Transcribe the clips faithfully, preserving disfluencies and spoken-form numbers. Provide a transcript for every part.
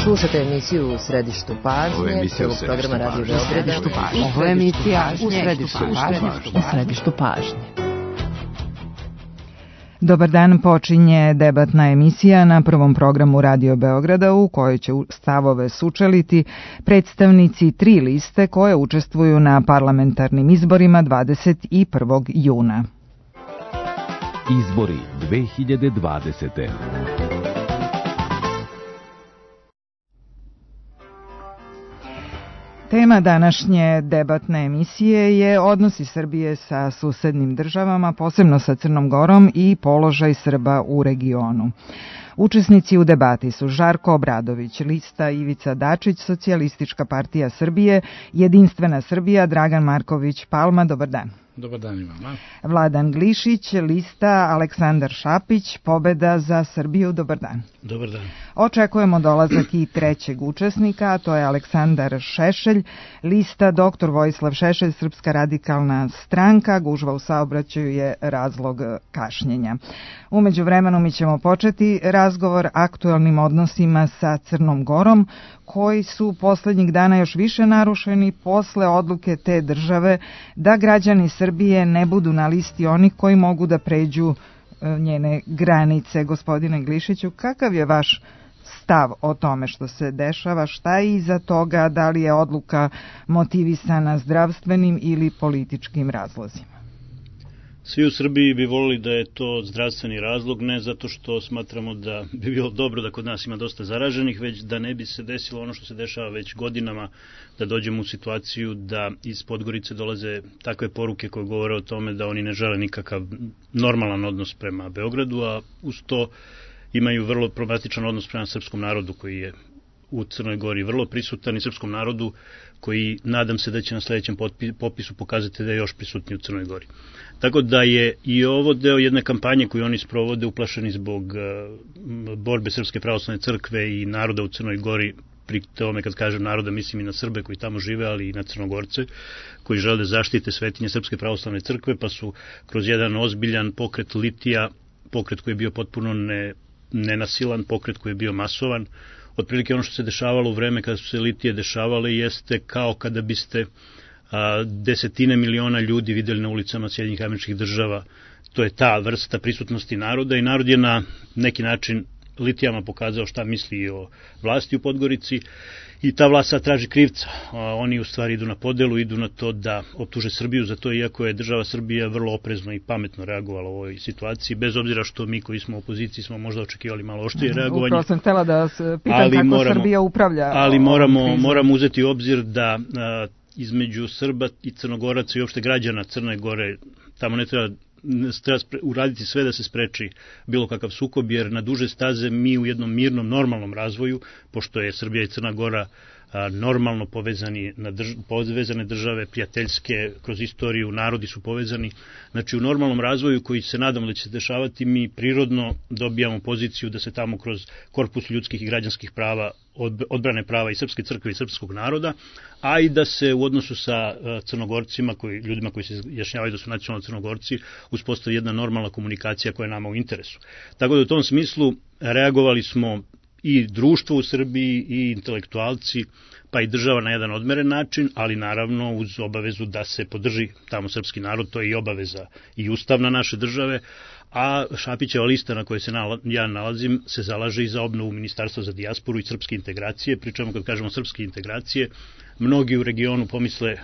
Slušate emisiju U središtu pažnje, prvog programa Radio Beograda. Ovo je emisija U središtu pažnje. U središtu pažnje. Dobar dan, počinje debatna emisija na prvom programu Radio Beograda u kojoj će stavove sučeliti predstavnici tri liste koje učestvuju na parlamentarnim izborima dvadeset prvog juna. Izbori dve hiljade dvadesete. Tema današnje debatne emisije je odnosi Srbije sa susednim državama, posebno sa Crnom Gorom i položaj Srba u regionu. Učesnici u debati su Žarko Obradović, lista Ivica Dačić, Socijalistička partija Srbije, Jedinstvena Srbija, Dragan Marković Palma. Dobar dan. Dobar dan i vama. Vladan Glišić, lista Aleksandar Šapić, Pobeda za Srbiju. Dobar dan. Dobar dan. Očekujemo dolazak i trećeg učesnika, a to je Aleksandar Šešelj, lista doktor Vojislav Šešelj, Srpska radikalna stranka. Gužva u saobraćaju je razlog kašnjenja. U međuvremenu mi ćemo početi razgovor aktuelnim odnosima sa Crnom Gorom, koji su poslednjih dana još više narušeni posle odluke te države da građani Srbije ne budu na listi onih koji mogu da pređu njene granice. Gospodine Glišiću, kakav je vaš stav o tome što se dešava, šta je iza toga, da li je odluka motivisana zdravstvenim ili političkim razlozima? Svi u Srbiji bi volili da je to zdravstveni razlog, ne zato što smatramo da bi bilo dobro da kod nas ima dosta zaraženih, već da ne bi se desilo ono što se dešava već godinama, da dođemo u situaciju da iz Podgorice dolaze takve poruke koje govore o tome da oni ne žele nikakav normalan odnos prema Beogradu, a uz to imaju vrlo problematičan odnos prema srpskom narodu koji je u Crnoj Gori vrlo prisutan i srpskom narodu koji nadam se da će na sledećem popisu pokazati da je još prisutniji u Crnoj Gori. Tako da je i ovo deo jedne kampanje koju oni sprovode uplašeni zbog borbe Srpske pravoslavne crkve i naroda u Crnoj Gori. Pri tome kad kažem naroda mislim i na Srbe koji tamo žive, ali i na Crnogorce koji žele da zaštite svetinje Srpske pravoslavne crkve, pa su kroz jedan ozbiljan pokret litija, pokret koji je bio potpuno ne, nenasilan, pokret koji je bio masovan. Otprilike ono što se dešavalo u vreme kada su se litije dešavale jeste kao kada biste a, desetine miliona ljudi videli na ulicama Sjedinjenih Američkih Država. To je ta vrsta prisutnosti naroda i narod je na neki način litijama pokazao šta misli o vlasti u Podgorici i ta vlast sad traži krivca. A, oni u stvari idu na podelu, idu na to da optuže Srbiju za to, iako je država Srbija vrlo oprezno i pametno reagovala u ovoj situaciji, bez obzira što mi koji smo u opoziciji smo možda očekivali malo oštrije reagovanje. Upravo sam htela da vas pitam ali kako moramo, Srbija upravlja. Ali moramo, moramo uzeti u obzir da a, između Srba i Crnogoraca i uopšte građana Crne Gore tamo ne treba treba uraditi sve da se spreči bilo kakav sukob, jer na duže staze mi u jednom mirnom, normalnom razvoju, pošto je Srbija i Crna Gora a, normalno povezani na drž povezane države, prijateljske, kroz istoriju, narodi su povezani, znači u normalnom razvoju koji se nadamo da će se dešavati, mi prirodno dobijamo poziciju da se tamo kroz korpus ljudskih i građanskih prava odbrane prava i Srpske crkve i srpskog naroda, a i da se u odnosu sa Crnogorcima, koji, ljudima koji se jašnjavaju da su nacionalni Crnogorci, uspostavi jedna normalna komunikacija koja je nama u interesu. Tako da u tom smislu reagovali smo i društvo u Srbiji i intelektualci, pa i država na jedan odmeren način, ali naravno uz obavezu da se podrži tamo srpski narod, to je i obaveza i ustavna naše države, a Šapićeva lista na kojoj se ja nalazim se zalaže i za obnovu Ministarstva za dijasporu i srpske integracije, pričamo kad kažemo srpske integracije, mnogi u regionu pomisle uh,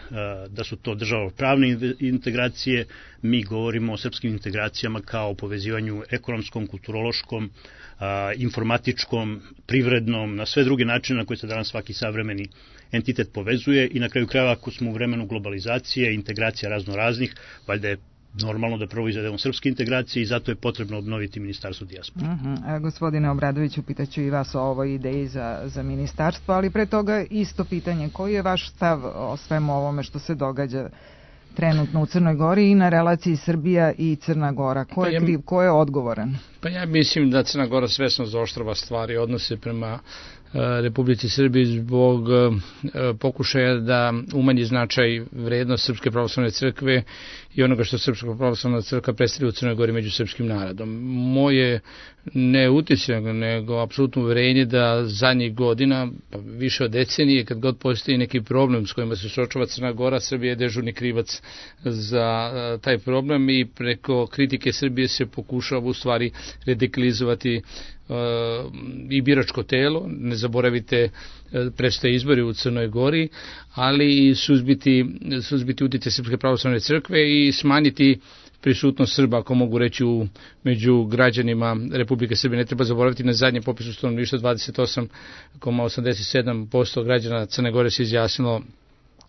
da su to državopravne integracije, mi govorimo o srpskim integracijama kao o povezivanju ekonomskom, kulturološkom, uh, informatičkom, privrednom, na sve druge načine na koje se danas svaki savremeni entitet povezuje i na kraju krajeva ako smo u vremenu globalizacije, integracija razno raznih, valjda je normalno da prvo izvedemo srpske integracije i zato je potrebno obnoviti Ministarstvo dijaspore. Uh -huh. Gospodine Obradoviću, pitaću i vas o ovoj ideji za, za ministarstvo, ali pre toga isto pitanje. Koji je vaš stav o svemu ovome što se događa trenutno u Crnoj Gori i na relaciji Srbija i Crna Gora? Ko je kriv, ko je odgovoran? Pa ja mislim da Crna Gora svesno zaoštrava stvari, odnose prema Republici Srbiji zbog pokušaja da umanji značaj vrednost Srpske pravoslavne crkve i onoga što Srpska pravoslavna crkva predstavlja u Crnoj Gori među srpskim narodom. Moje ne utisak, nego apsolutno uverenje da zadnjih godina, pa više od decenije, kad god postoji neki problem s kojima se suočava Crna Gora, Srbija je dežurni krivac za taj problem i preko kritike Srbije se pokušava u stvari radikalizovati i biračko telo, ne zaboravite predstoje izbori u Crnoj Gori, ali i suzbiti, suzbiti utjecaj Srpske pravoslavne crkve i smanjiti prisutnost Srba, ako mogu reći, u, među građanima Republike Srbije. Ne treba zaboraviti, na zadnjem popisu stanovništva dvadeset osam zarez osamdeset sedam posto građana Crne Gore se izjasnilo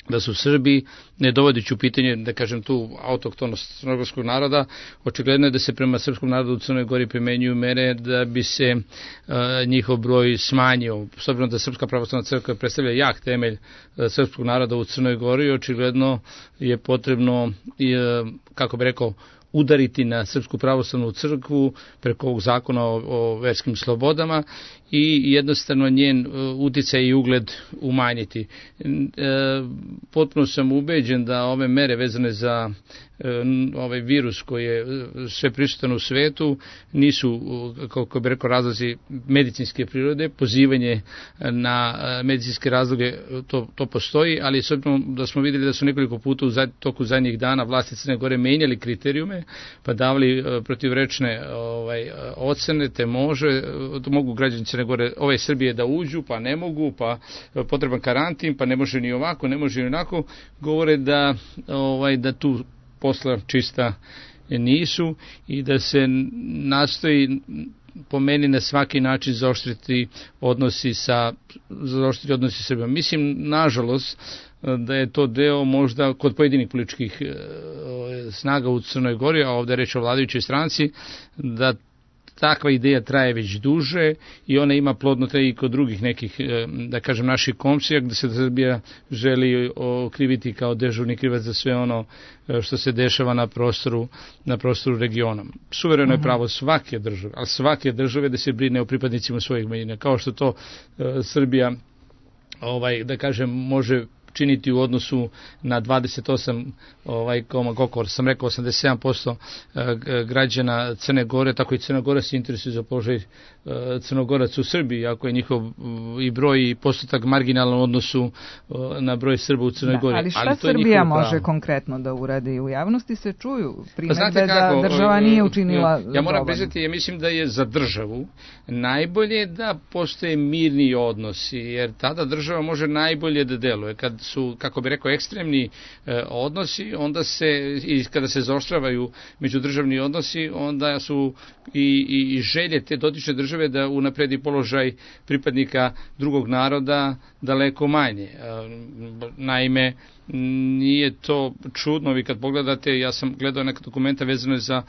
da su Srbi, ne dovodeći u pitanje, da kažem tu, autohtonost crnogorskog naroda. Očigledno je da se prema srpskom narodu u Crnoj Gori primenjuju mere da bi se uh, njihov broj smanjio. S obzirom da Srpska pravoslavna crkva predstavlja jak temelj uh, srpskog naroda u Crnoj Gori, očigledno je potrebno, uh, kako bi rekao, udariti na Srpsku pravoslavnu crkvu preko ovog zakona o, o verskim slobodama i jednostavno njen uticaj i ugled umanjiti. E, potpuno sam ubeđen da ove mere vezane za e, ovaj virus koji je sve prisutan u svetu nisu, kako bi rekao, razlozi medicinske prirode. Pozivanje na medicinske razloge to, to postoji, ali s obzirom da smo vidjeli da su nekoliko puta u zad, toku zadnjih dana vlasti Crne Gore menjali kriterijume pa davali protivrečne ovaj, ocene, te može, to mogu građani Crne Gore, ove Srbije da uđu, pa ne mogu, pa potreban karantin, pa ne može ni ovako, ne može ni onako, govore da, ovaj, da tu posla čista nisu i da se nastoji po meni na svaki način zaoštriti odnosi sa zaoštriti odnosi sa Srbijom. Mislim, nažalost, da je to deo možda kod pojedinih političkih snaga u Crnoj Gori, a ovdje je reč o vladajućoj stranci, da takva ideja traje već duže i ona ima plodno traje i kod drugih nekih, da kažem, naših komšija, gde se Srbija želi okriviti kao dežurni krivac za sve ono što se dešava na prostoru, na prostoru regiona. Suvereno je pravo svake države, ali svake države da se brine o pripadnicima svojih manjina, kao što to uh, Srbija, ovaj, da kažem, može činiti u odnosu na dvadeset osam, ovaj, koliko sam rekao, osamdeset sedam posto građana Crne Gore, tako i Crna Gora se interesuje za položaj Crnogoraca u Srbiji, ako je njihov i broj i postotak marginalan u odnosu na broj Srba u Crnoj Gori. Da, ali šta ali Srbija može pravo. konkretno da uradi? U javnosti se čuju primedbe da država nije učinila dovoljno. Ja moram priznati, ja mislim da je za državu najbolje da postoje mirni odnosi, jer tada država može najbolje da deluje. Kad su, kako bi rekao, ekstremni e, odnosi, onda se, i kada se zaoštravaju međudržavni odnosi, onda su i, i, i želje te dotične države da unapredi položaj pripadnika drugog naroda daleko manje. E, naime, nije to čudno, vi kad pogledate, ja sam gledao neka dokumenta vezano za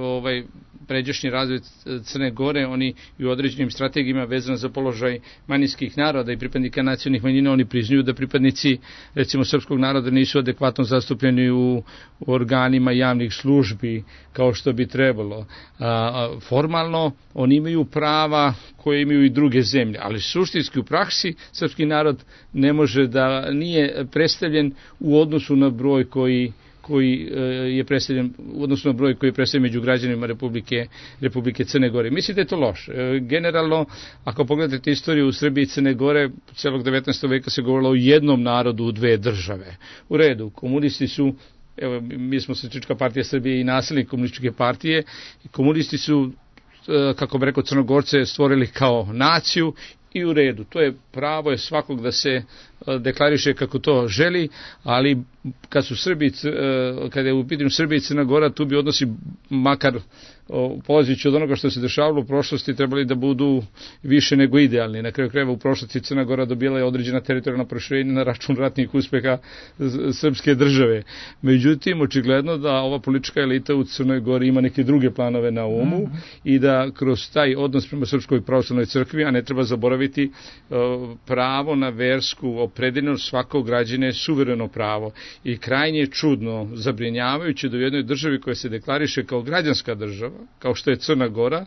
ovaj pređašnji razvoj Crne Gore, oni i u određenim strategijama vezano za položaj manjinskih naroda i pripadnika nacionalnih manjina, oni priznaju da pripadnici, recimo, srpskog naroda nisu adekvatno zastupljeni u, u organima javnih službi kao što bi trebalo. A, formalno oni imaju prava koje imaju i druge zemlje, ali suštinski u praksi srpski narod ne može da nije predstavljen u odnosu na broj koji koji je predstavljen, u odnosu na broj koji je predstavljen među građanima Republike, Republike Crne Gore. Mislim da je to loše. Generalno, ako pogledate istoriju u Srbiji i Crne Gore, celog devetnaestog veka se govorilo o jednom narodu u dve države. U redu, komunisti su, evo, mi smo Socijalistička partija Srbije i nasljednik komunističke partije, i komunisti su, kako bi rekao, Crnogorce stvorili kao naciju i u redu. To je pravo je svakog da se deklariše kako to želi, ali kad su Srbi, kada je u pitanju Srbija i Crna Gora, tu bi odnosi, makar polazeći od onoga što se dešavalo u prošlosti, trebali da budu više nego idealni. Na kraju krajeva u prošlosti Crna Gora dobila je određena teritorijalna proširenja na račun ratnih uspeha srpske države. Međutim, očigledno da ova politička elita u Crnoj Gori ima neke druge planove na umu mm. i da kroz taj odnos prema Srpskoj pravoslavnoj crkvi, a ne treba zaboraviti pravo na versku opredeljenost svakog građana je suvereno pravo i krajnje je čudno, zabrinjavajuće da u jednoj državi koja se deklariše kao građanska država, kao što je Crna Gora,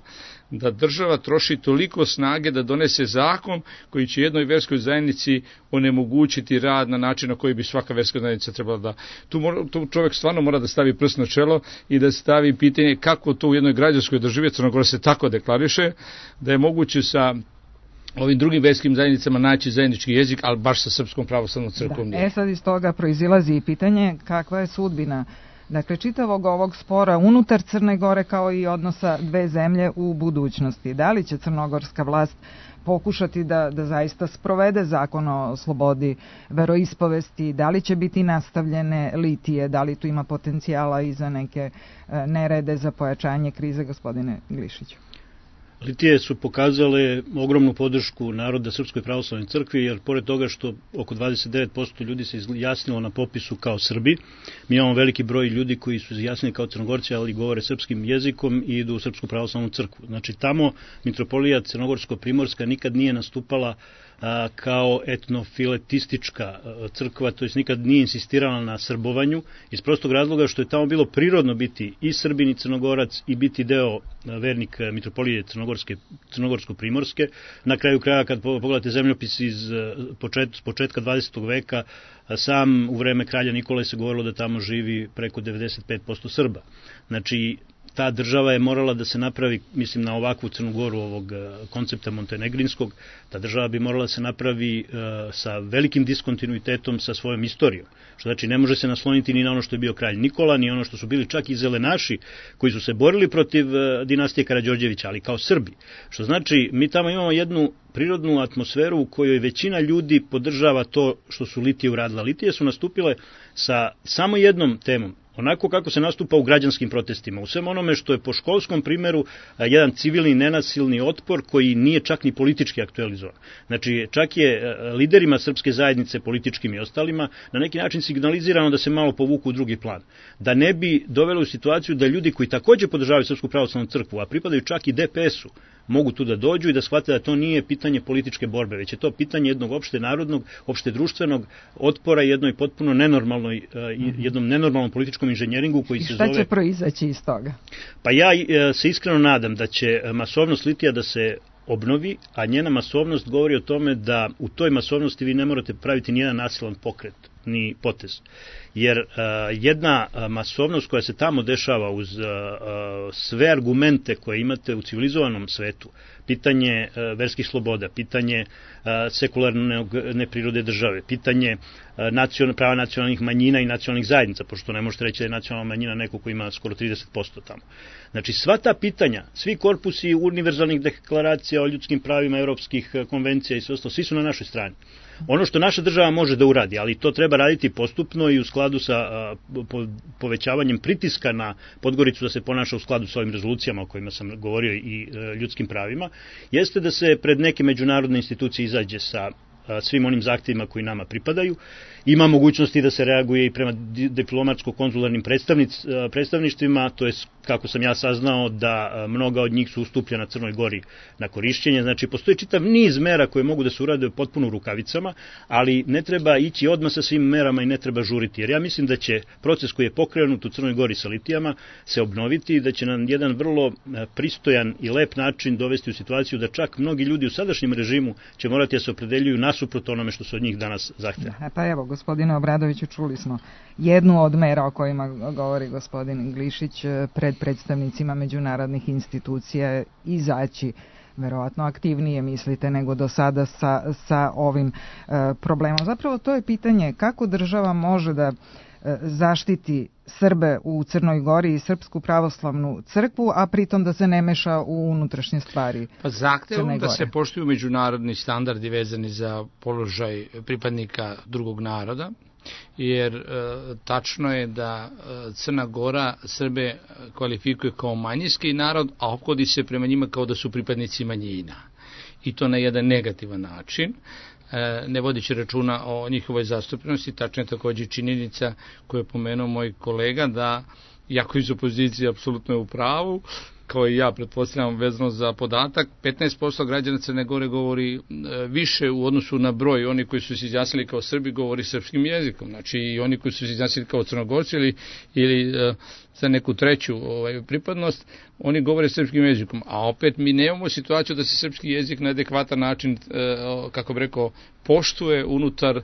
da država troši toliko snage da donese zakon koji će jednoj verskoj zajednici onemogućiti rad na način na koji bi svaka verska zajednica trebala da... Tu, mora, tu čovjek stvarno mora da stavi prst na čelo i da stavi pitanje kako to u jednoj građanskoj državi, Crna Gora se tako deklariše, da je moguće sa ovim drugim verskim zajednicama naći zajednički jezik, ali baš sa Srpskom pravoslavnom crkvom. Da. E sad iz toga proizilazi i pitanje kakva je sudbina dakle čitavog ovog spora unutar Crne Gore kao i odnosa dve zemlje u budućnosti. Da li će crnogorska vlast pokušati da, da zaista sprovede zakon o slobodi veroispovesti, da li će biti nastavljene litije, da li tu ima potencijala i za neke e, nerede za pojačanje krize, gospodine Glišiću? Litije su pokazale ogromnu podršku naroda Srpskoj pravoslavnoj crkvi, jer pored toga što oko dvadeset devet posto ljudi se izjasnilo na popisu kao Srbi, mi imamo veliki broj ljudi koji su izjasnili kao Crnogorci, ali govore srpskim jezikom i idu u Srpsku pravoslavnu crkvu. Znači tamo mitropolija Crnogorsko-Primorska nikad nije nastupala a, kao etnofiletistička crkva, to jest nikad nije insistirala na srbovanju, iz prostog razloga što je tamo bilo prirodno biti i Srbin i Crnogorac i biti deo vernik mitropolije Crnogorske, Crnogorsko-Primorske. Na kraju kraja, kad pogledate zemljopis iz počet, početka dvadesetog veka, sam u vreme kralja Nikole se govorilo da tamo živi preko devedeset pet posto Srba. Znači, ta država je morala da se napravi, mislim na ovakvu Crnu Goru ovog koncepta montenegrinskog, ta država bi morala da se napravi uh, sa velikim diskontinuitetom sa svojom istorijom. Što znači ne može se nasloniti ni na ono što je bio kralj Nikola, ni ono što su bili čak i zelenaši koji su se borili protiv uh, dinastije Karađorđevića, ali kao Srbi. Što znači mi tamo imamo jednu prirodnu atmosferu u kojoj većina ljudi podržava to što su Litije uradila. Litije su nastupile sa samo jednom temom, onako kako se nastupa u građanskim protestima, u svem onome što je po školskom primeru jedan civilni nenasilni otpor koji nije čak ni politički aktualizovan. Znači, čak je liderima srpske zajednice, političkim i ostalima, na neki način signalizirano da se malo povuku u drugi plan. Da ne bi dovelo u situaciju da ljudi koji takođe podržavaju Srpsku pravoslavnu crkvu, a pripadaju čak i de pe esu, mogu tu da dođu i da shvate da to nije pitanje političke borbe, već je to pitanje jednog opšte narodnog, opšte društvenog otpora jednoj potpuno nenormalnoj, jednom nenormalnom političkom inženjeringu koji se zove... I šta će proizaći iz toga? Pa ja se iskreno nadam da će masovnost litija da se obnovi, a njena masovnost govori o tome da u toj masovnosti vi ne morate praviti nijedan nasilan pokret, ni potez. Jer uh, jedna masovnost koja se tamo dešava uz uh, sve argumente koje imate u civilizovanom svetu, pitanje uh, verskih sloboda, pitanje uh, sekularne neprirode države, pitanje uh, nacion, prava nacionalnih manjina i nacionalnih zajednica, pošto ne možete reći da je nacionalna manjina neko ko ima skoro trideset posto tamo. Znači sva ta pitanja, svi korpusi univerzalnih deklaracija o ljudskim pravima, europskih konvencija i sve ostalo, svi su na našoj strani. Ono što naša država može da uradi, ali to treba raditi postupno i u skladu sa a, po, povećavanjem pritiska na Podgoricu da se ponaša u skladu sa ovim rezolucijama o kojima sam govorio i a, ljudskim pravima, jeste da se pred neke međunarodne institucije izađe sa a, svim onim zahtjevima koji nama pripadaju. Ima mogućnosti da se reaguje i prema diplomatsko-konzularnim predstavništvima, to je, kako sam ja saznao, da mnoga od njih su ustupljena Crnoj Gori na korišćenje. Znači, postoji čitav niz mera koje mogu da se urade potpuno u rukavicama, ali ne treba ići odmah sa svim merama i ne treba žuriti. Jer ja mislim da će proces koji je pokrenut u Crnoj Gori sa litijama se obnoviti i da će nam jedan vrlo pristojan i lep način dovesti u situaciju da čak mnogi ljudi u sadašnjem režimu će morati da se opredeljuju nasuprot onome što se od njih danas zahteva. Pa evo, gospodine Obradoviću, čuli smo jednu od mera o kojima govori gospodin Glišić pred predstavnicima međunarodnih institucija izaći verovatno aktivnije, mislite, nego do sada sa, sa ovim e, problemom. Zapravo to je pitanje kako država može da e, zaštiti Srbe u Crnoj Gori i Srpsku pravoslavnu crkvu, a pritom da se ne meša u unutrašnje stvari. Pa zahtevom da se poštuju međunarodni standardi vezani za položaj pripadnika drugog naroda, jer e, tačno je da e, Crna Gora Srbe kvalifikuje kao manjinski narod, a ophodí se prema njima kao da su pripadnici manjina. I to na jedan negativan način, e, ne vodići računa o njihovoj zastupljenosti. Tačno je također činjenica koju je pomenuo moj kolega da, iako iz opozicije apsolutno je u pravu, kao i ja pretpostavljam vezano za podatak, petnaest posto građana Crne Gore govori više u odnosu na broj, oni koji su se izjasnili kao Srbi govori srpskim jezikom, znači i oni koji su se izjasnili kao Crnogorci ili, ili za neku treću ovaj, pripadnost, oni govore srpskim jezikom, a opet mi nemamo situaciju da se srpski jezik na adekvatan način, kako bi rekao, poštuje unutar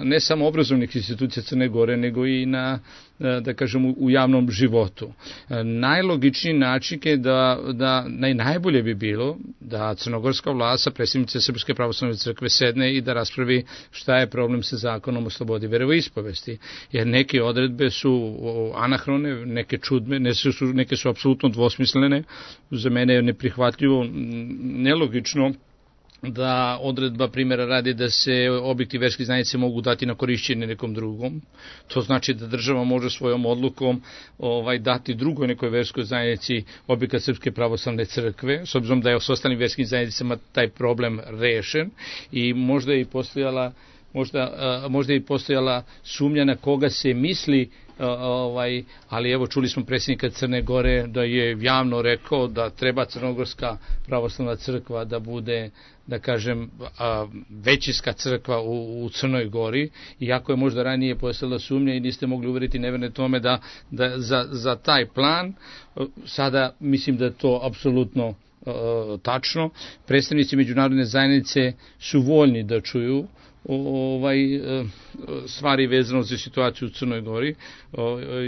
ne samo obrazovnih institucija Crne Gore, nego i na, da kažem, u javnom životu. Najlogičniji način je da, da naj, najbolje bi bilo da crnogorska vlast sa predsjednice Srpske pravoslavne crkve sedne i da raspravi šta je problem sa zakonom o slobodi veroispovesti. Jer neke odredbe su anahrone, neke čudne, neke su, neke su apsolutno dvosmislene. Za mene je neprihvatljivo, nelogično da odredba primjera radi da se objekti verske zajednice mogu dati na korišćenje nekom drugom. To znači da država može svojom odlukom ovaj, dati drugoj nekoj verskoj zajednici objekat Srpske pravoslavne crkve, s obzirom da je s ostalim verskim zajednicama taj problem rešen i možda je i postojala možda, možda je i postojala sumnja na koga se misli, ovaj, ali evo čuli smo predsjednika Crne Gore da je javno rekao da treba Crnogorska pravoslavna crkva da bude, da kažem, većinska crkva u, u Crnoj Gori, iako je možda ranije postojala sumnja i niste mogli uveriti neverne tome da, da za, za taj plan, sada mislim da je to apsolutno tačno. Predstavnici međunarodne zajednice su voljni da čuju ovaj stvari vezano za situaciju u Crnoj Gori.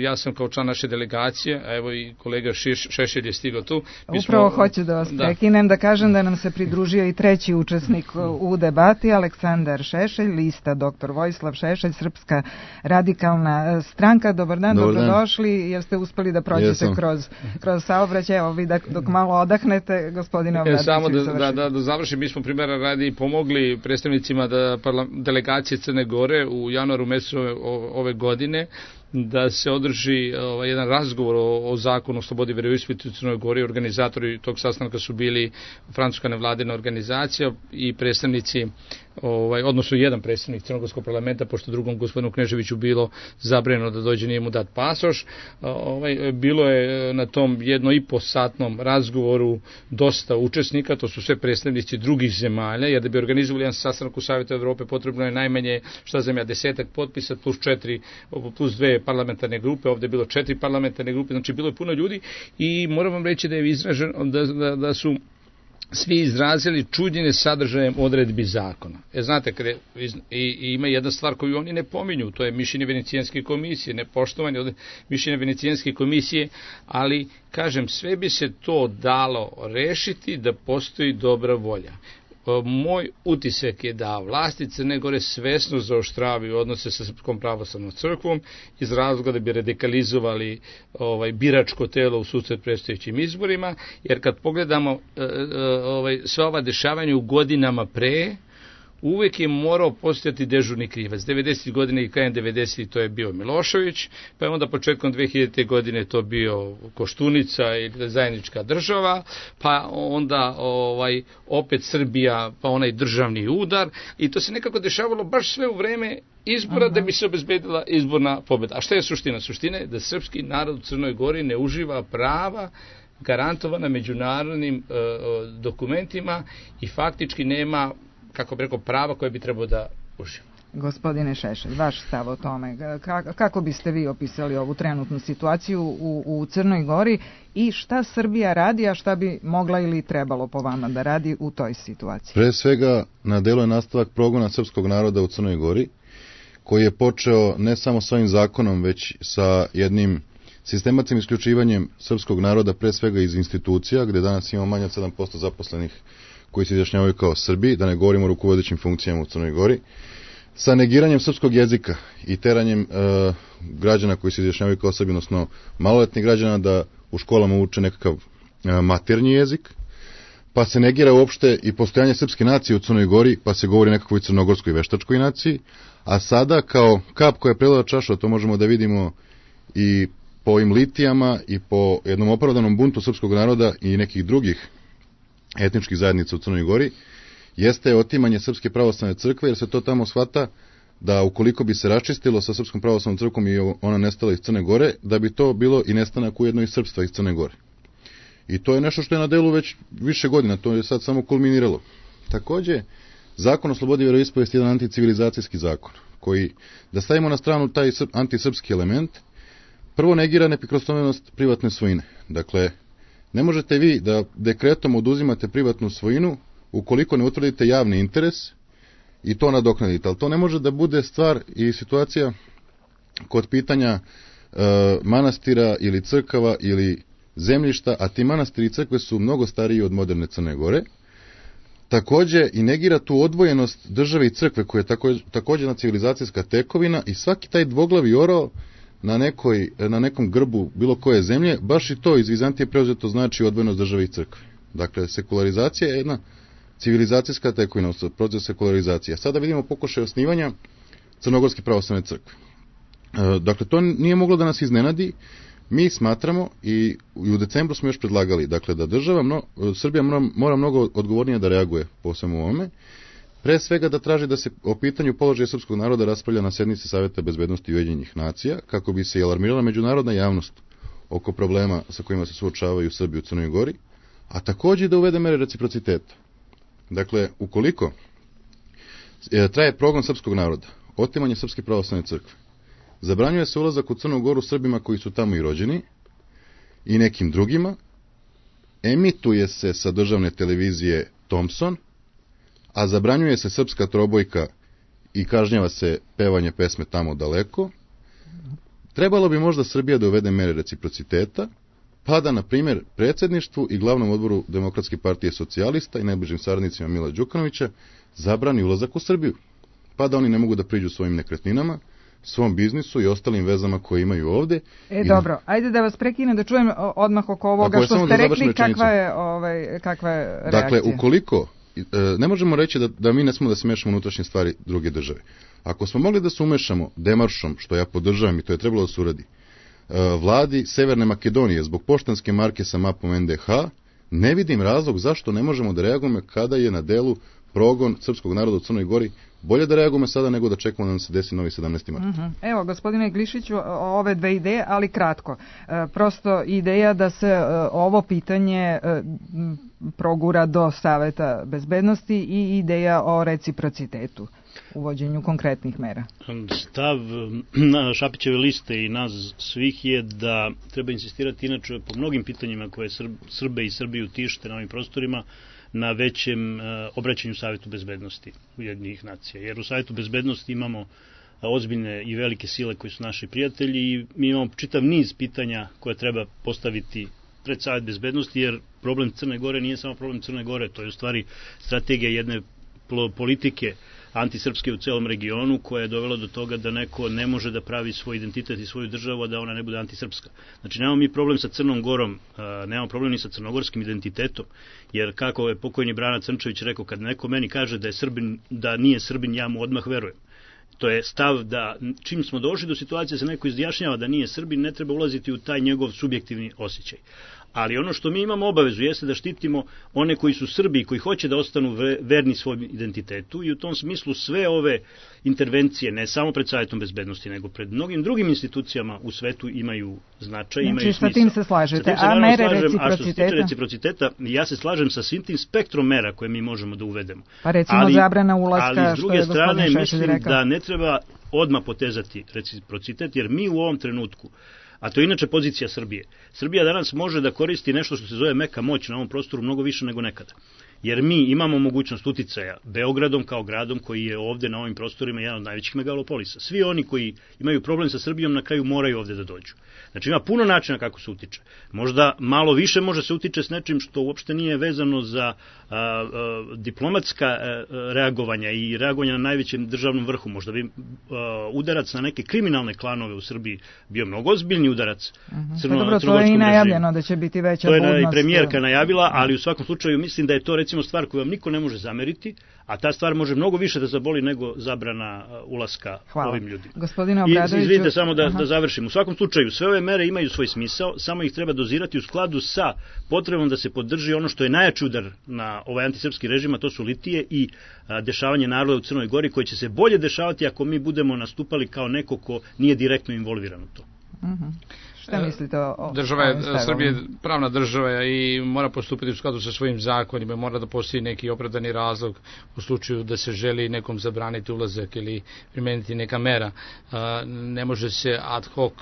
Ja sam kao član naše delegacije, a evo i kolega Šešelj je stigao tu. Mi Upravo smo, hoću da vas da. prekinem, da kažem da nam se pridružio i treći učesnik u debati, Aleksandar Šešelj, lista doktor Vojislav Šešelj, Srpska radikalna stranka. Dobar dan, Dobar dobrodošli, dan. Jer ste uspeli da prođete kroz, kroz saobraćaj. Evo vi da, dok malo odahnete, gospodine Obradović. Samo da, da, da, da završim, mi smo primjera radi pomogli predstavnicima da parla, delegacije Crne Gore u januaru mesecu ove godine da se održi ovaj, jedan razgovor o, o zakonu o slobodi veroispovesti u Crnoj Gori. Organizatori tog sastanka su bili francuska nevladina organizacija i predstavnici, ovaj, odnosno jedan predstavnik Crnogorskog parlamenta, pošto drugom gospodinu Kneževiću bilo zabranjeno da dođe, nije mu dat pasoš. Ovaj, bilo je na tom jedno i po satnom razgovoru dosta učesnika, to su sve predstavnici drugih zemalja, jer da bi organizovali jedan sastanak u Savjetu Evrope potrebno je najmanje, šta znam ja, desetak potpisa plus četiri, plus dve parlamentarne grupe, ovdje je bilo četiri parlamentarne grupe, znači bilo je puno ljudi i moram vam reći da je izraženo, da, da, da su svi izrazili čuđenje sadržajem odredbi zakona. E, znate, kada, i, i ima jedna stvar koju oni ne pominju, to je mišljenje Venecijanske komisije, nepoštovanje od mišljenja Venecijanske komisije, ali, kažem, sve bi se to dalo rešiti da postoji dobra volja. Moj utisak je da vlasti Crne Gore svesno zaoštravaju odnose sa Srpskom pravoslavnom crkvom iz razloga da bi radikalizovali ovaj, biračko telo u susret predstojećim izborima, jer kad pogledamo e, e, ovaj, sve ova dešavanja u godinama pre, uvek je morao postojati dežurni krivac. devedesetih godina i krajem devedesetih to je bio Milošević, pa je onda početkom dve hiljadite godine to bio Koštunica ili zajednička država, pa onda ovaj opet Srbija, pa onaj državni udar, i to se nekako dešavalo baš sve u vreme izbora. Aha. Da bi se obezbedila izborna pobjeda. A šta je suština? Suština je da srpski narod u Crnoj Gori ne uživa prava garantovana međunarodnim e, dokumentima i faktički nema, kako bi rekao, prava koje bi trebao da uživa. Gospodine Šešelj, vaš stav o tome, kako biste vi opisali ovu trenutnu situaciju u, u Crnoj Gori i šta Srbija radi, a šta bi mogla ili trebalo po vama da radi u toj situaciji? Pre svega, na delu je nastavak progona srpskog naroda u Crnoj Gori, koji je počeo ne samo s ovim zakonom, već sa jednim sistematskim isključivanjem srpskog naroda, pre svega iz institucija, gde danas imamo manje od sedam posto zaposlenih koji se izjašnjavaju kao Srbi, da ne govorimo o rukovodećim funkcijama u Crnoj Gori, sa negiranjem srpskog jezika i teranjem e, građana koji se izjašnjavaju kao Srbi, odnosno maloletnih građana, da u školama uče nekakav e, maternji jezik, pa se negira uopšte i postojanje srpske nacije u Crnoj Gori, pa se govori nekakvoj crnogorskoj veštačkoj naciji, a sada kao kap koja je prelila čašu, to možemo da vidimo i po ovim litijama i po jednom opravdanom buntu srpskog naroda i nekih drugih etničkih zajednica u Crnoj Gori, jeste otimanje Srpske pravoslavne crkve, jer se to tamo shvata da ukoliko bi se raščistilo sa Srpskom pravoslavnom crkvom i ona nestala iz Crne Gore, da bi to bilo i nestanak ujedno i srpstva iz Crne Gore. I to je nešto što je na delu već više godina, to je sad samo kulminiralo. Takođe, Zakon o slobodi vjeroispovesti je jedan anticivilizacijski zakon, koji, da stavimo na stranu taj antisrpski element, prvo negira neprikosnovenost privatne svojine. Dakle, ne možete vi da dekretom oduzimate privatnu svojinu ukoliko ne utvrdite javni interes i to nadoknadite. Ali to ne može da bude stvar i situacija kod pitanja e, manastira ili crkava ili zemljišta, a ti manastiri i crkve su mnogo stariji od moderne Crne Gore. Takođe i negira tu odvojenost države i crkve koja je tako, takođe jedna civilizacijska tekovina i svaki taj dvoglavi orao na, nekoj, na nekom grbu bilo koje zemlje, baš i to iz Vizantije preuzeto znači odvojenost države i crkve. Dakle, sekularizacija je jedna civilizacijska tekovina, proces sekularizacije. Sada vidimo pokušaj osnivanja Crnogorske pravoslavne crkve. E, dakle, to nije moglo da nas iznenadi. Mi smatramo i u decembru smo još predlagali, dakle, da država, mno, Srbija mora, mora mnogo odgovornije da reaguje po svemu ovome. Pre svega da traži da se o pitanju položaja srpskog naroda raspravlja na sednici Saveta bezbednosti Ujedinjenih nacija, kako bi se alarmirala međunarodna javnost oko problema sa kojima se suočavaju Srbi u Crnoj Gori, a takođe da uvede mere reciprociteta. Dakle, ukoliko e, traje progon srpskog naroda, otimanje Srpske pravoslavne crkve, zabranjuje se ulazak u Crnu Goru Srbima koji su tamo i rođeni i nekim drugima, emituje se sa državne televizije Thompson, a zabranjuje se srpska trobojka i kažnjava se pevanje pesme Tamo daleko, trebalo bi možda Srbija da uvede mere reciprociteta, pa da, na primjer, predsjedništvu i glavnom odboru Demokratske partije socijalista i najbližim saradnicima Mila Đukanovića zabrani ulazak u Srbiju, pa da oni ne mogu da priđu svojim nekretninama, svom biznisu i ostalim vezama koje imaju ovde. E, I dobro, da... ajde da vas prekinem da čujem odmah oko ovoga što ste rekli, kakva je, ovaj, kakva je reakcija. Dakle, ukoliko, ne možemo reći da, da mi ne smemo da se mešamo unutrašnje stvari druge države. Ako smo mogli da se umešamo demaršom, što ja podržavam i to je trebalo da se uradi, vladi Severne Makedonije zbog poštanske marke sa mapom en de ha, ne vidim razlog zašto ne možemo da reagujemo kada je na delu progon srpskog naroda u Crnoj Gori. Bolje da reagujemo sada nego da čekamo da nam se desi novi sedamnaesti mart. Uh-huh. Evo, gospodine Glišiću, ove dve ideje, ali kratko. E, prosto ideja da se e, ovo pitanje e, progura do Saveta bezbednosti i ideja o reciprocitetu, uvođenju konkretnih mera. Stav na Šapićeve liste i nas svih je da treba insistirati inače po mnogim pitanjima koje Srbe i Srbiju tište na ovim prostorima, na većem uh, obraćanju Savetu bezbednosti Ujedinjenih nacija. Jer u Savetu bezbednosti imamo uh, ozbiljne i velike sile koji su naši prijatelji i mi imamo čitav niz pitanja koje treba postaviti pred Savet bezbednosti, jer problem Crne Gore nije samo problem Crne Gore, to je u stvari strategija jedne politike antisrpske u celom regionu koja je dovela do toga da neko ne može da pravi svoj identitet i svoju državu, a da ona ne bude antisrpska. Znači, nemamo mi problem sa Crnom Gorom, nemamo problem ni sa crnogorskim identitetom, jer kako je pokojni Brana Crnčević rekao, kad neko meni kaže da je Srbin, da nije Srbin, ja mu odmah verujem. To je stav da čim smo došli do situacije da se neko izjašnjava da nije Srbin, ne treba ulaziti u taj njegov subjektivni osjećaj. Ali ono što mi imamo obavezu jeste da štitimo one koji su Srbi i koji hoće da ostanu verni svom identitetu i u tom smislu sve ove intervencije, ne samo pred Savetom bezbednosti, nego pred mnogim drugim institucijama u svetu imaju značaj, znači, imaju smisla. Sa tim se slažete, a mere slažem, reciprociteta? A što se tiče reciprociteta, ja se slažem sa svim tim spektrom mera koje mi možemo da uvedemo. Pa recimo ali, zabrana ulaska, ali s druge što je strane Šešelj mislim rekao. Da ne treba odmah potezati reciprocitet, jer mi u ovom trenutku, a to je inače pozicija Srbije. Srbija danas može da koristi nešto što se zove meka moć na ovom prostoru mnogo više nego nekada. Jer mi imamo mogućnost uticaja Beogradom kao gradom koji je ovde na ovim prostorima jedan od najvećih megalopolisa. Svi oni koji imaju problem sa Srbijom na kraju moraju ovde da dođu. Znači ima puno načina kako se utiče. Možda malo više može se utiče s nečim što uopšte nije vezano za a, a, diplomatska a, reagovanja i reagovanja na najvećem državnom vrhu. Možda bi a, udarac na neke kriminalne klanove u Srbiji bio mnogo ozbiljni udarac uh-huh. crno, dobro, to je i najavljeno da će biti veća budnost. To je i premijerka najavila, ali u svakom slučaju mislim da je to recimo stvar koju vam niko ne može zameriti, a ta stvar može mnogo više da zaboli nego zabrana ulaska Hvala. Ovim ljudima. Gospodine Obradoviću... I izvinite samo da, da završim. U svakom slučaju, sve ove mere imaju svoj smisao, samo ih treba dozirati u skladu sa potrebom da se podrži ono što je najjači udar na ovaj antisrpski režim, a to su litije i a, dešavanje naroda u Crnoj Gori, koje će se bolje dešavati ako mi budemo nastupali kao neko ko nije direktno involviran u to. Uh-huh. Šta mislite o država je, Srbija je pravna država i mora postupiti u skladu sa svojim zakonima, mora da postoji neki opravdani razlog u slučaju da se želi nekom zabraniti ulazak ili primeniti neka mera. Ne može se ad hoc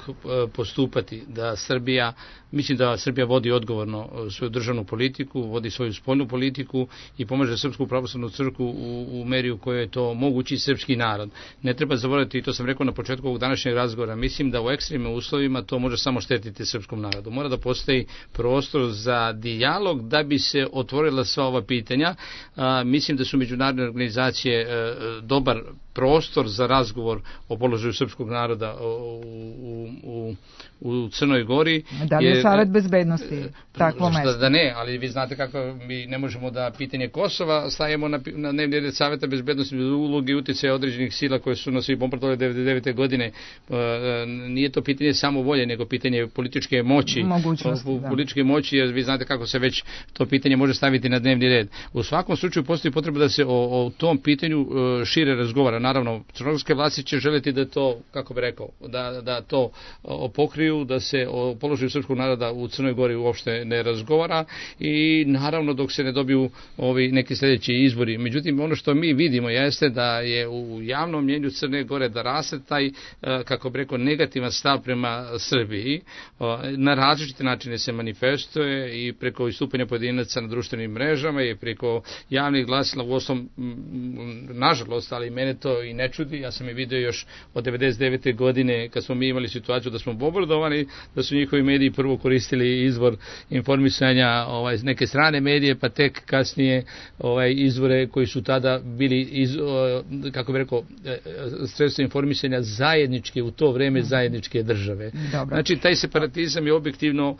postupati, da Srbija, mislim da Srbija vodi odgovorno svoju državnu politiku, vodi svoju spoljnu politiku i pomaže Srpsku pravoslavnu crkvu u, u meri u kojoj je to mogući srpski narod. Ne treba zaboraviti, i to sam rekao na početku ovog današnjeg razgovora, mislim da u ekstremnim uslovima to može samo štetiti srpskom narodu. Mora da postoji prostor za dijalog da bi se otvorila sva ova pitanja. A, mislim da su međunarodne organizacije a, dobar prostor za razgovor o položaju srpskog naroda u, u, u, u Crnoj Gori. Da li je Savet bezbednosti takvo mesto? Da ne, ali vi znate kako mi ne možemo da pitanje Kosova stavimo na, na dnevni red Saveta bezbednosti uloge i utjecaja određenih sila koje su nas i bombardovali devedeset devete. godine. Nije to pitanje samo volje, nego pitanje političke moći. Mogućnosti, da. Političke moći, jer vi znate kako se već to pitanje može staviti na dnevni red. U svakom slučaju postoji potreba da se o, o tom pitanju šire razgovara. Naravno, crnogorske vlasti će želiti da to, kako bi rekao, da, da to pokriju, da se o položaju srpskog naroda u Crnoj Gori uopšte ne razgovara i naravno dok se ne dobiju ovi neki sljedeći izbori. Međutim, ono što mi vidimo jeste da je u javnom mnjenju Crne Gore da raste taj, kako bi rekao, negativan stav prema Srbiji. Na različite načine se manifestuje i preko istupanja pojedinaca na društvenim mrežama i preko javnih glasila, u osnovom, nažalost, ali mene to i ne čudi. Ja sam je vidio još od devedeset devete. godine kad smo mi imali situaciju da smo bombardovani, da su njihovi mediji prvo koristili izvor informisanja ovaj, neke strane medije, pa tek kasnije ovaj, izvore koji su tada bili iz, kako bi rekao, sredstvo informisanja zajedničke, u to vreme zajedničke države. Dobro. Znači taj separatizam je objektivno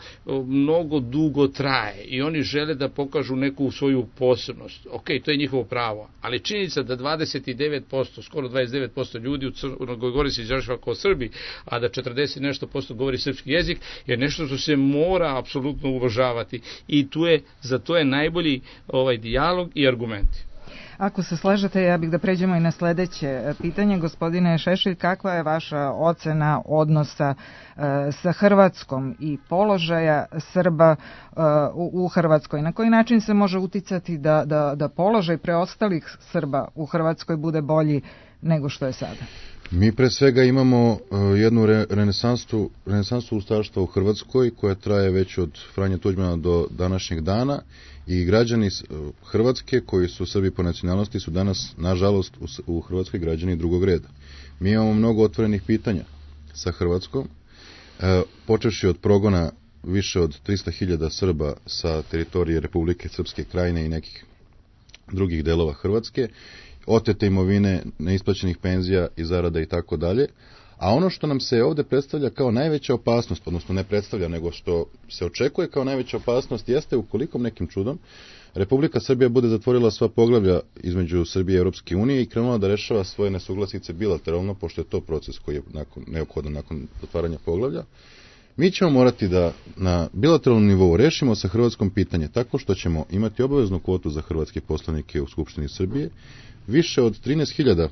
mnogo dugo traje i oni žele da pokažu neku svoju posebnost. Ok, to je njihovo pravo, ali činjenica da dvadeset devet posto, skoro dvadeset devet posto ljudi u Crnoj Gori se izražava kao Srbi, a da četrdeset nešto posto govori srpski jezik, je nešto što se mora apsolutno uvažavati i tu je, za to je najbolji ovaj dijalog i argumenti. Ako se slažete, ja bih da pređemo i na sledeće pitanje. Gospodine Šešelj, kakva je vaša ocena odnosa uh, sa Hrvatskom i položaja Srba uh, u, u Hrvatskoj? Na koji način se može uticati da, da, da položaj preostalih Srba u Hrvatskoj bude bolji nego što je sada? Mi pre svega imamo uh, jednu re, renesansu, renesansu ustaštva u Hrvatskoj koja traje već od Franje Tuđmana do današnjeg dana i građani uh, Hrvatske koji su Srbi po nacionalnosti su danas, nažalost, u, u Hrvatskoj građani drugog reda. Mi imamo mnogo otvorenih pitanja sa Hrvatskom, uh, počevši od progona više od trista hiljada Srba sa teritorije Republike Srpske Krajine i nekih drugih delova Hrvatske, otete imovine, neisplaćenih penzija i zarada i tako dalje. A ono što nam se ovde predstavlja kao najveća opasnost, odnosno ne predstavlja, nego što se očekuje kao najveća opasnost, jeste ukoliko nekim čudom Republika Srbija bude zatvorila sva poglavlja između Srbije i Europske unije i krenula da rešava svoje nesuglasice bilateralno, pošto je to proces koji je nakon, neophodan nakon otvaranja poglavlja. Mi ćemo morati da na bilateralnom nivou rešimo sa Hrvatskom pitanje tako što ćemo imati obaveznu kvotu za hrvatske poslanike u Skupštini Srbije, više od trinaest hiljada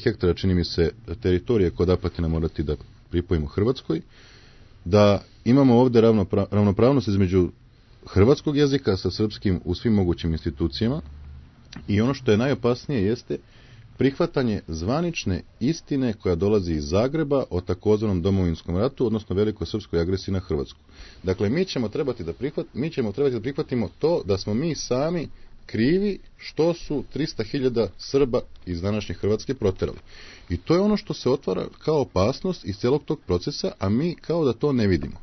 hektara, čini mi se, teritorije kod Apatina morati da pripojimo Hrvatskoj, da imamo ovde ravnopra- ravnopravnost između hrvatskog jezika sa srpskim u svim mogućim institucijama i ono što je najopasnije jeste prihvatanje zvanične istine koja dolazi iz Zagreba o takozvanom domovinskom ratu, odnosno velikoj srpskoj agresiji na Hrvatsku. Dakle, mi ćemo trebati da prihvat, mi ćemo trebati da prihvatimo to da smo mi sami krivi što su trista hiljada Srba iz današnje Hrvatske proterali. I to je ono što se otvara kao opasnost iz celog tog procesa, a mi kao da to ne vidimo.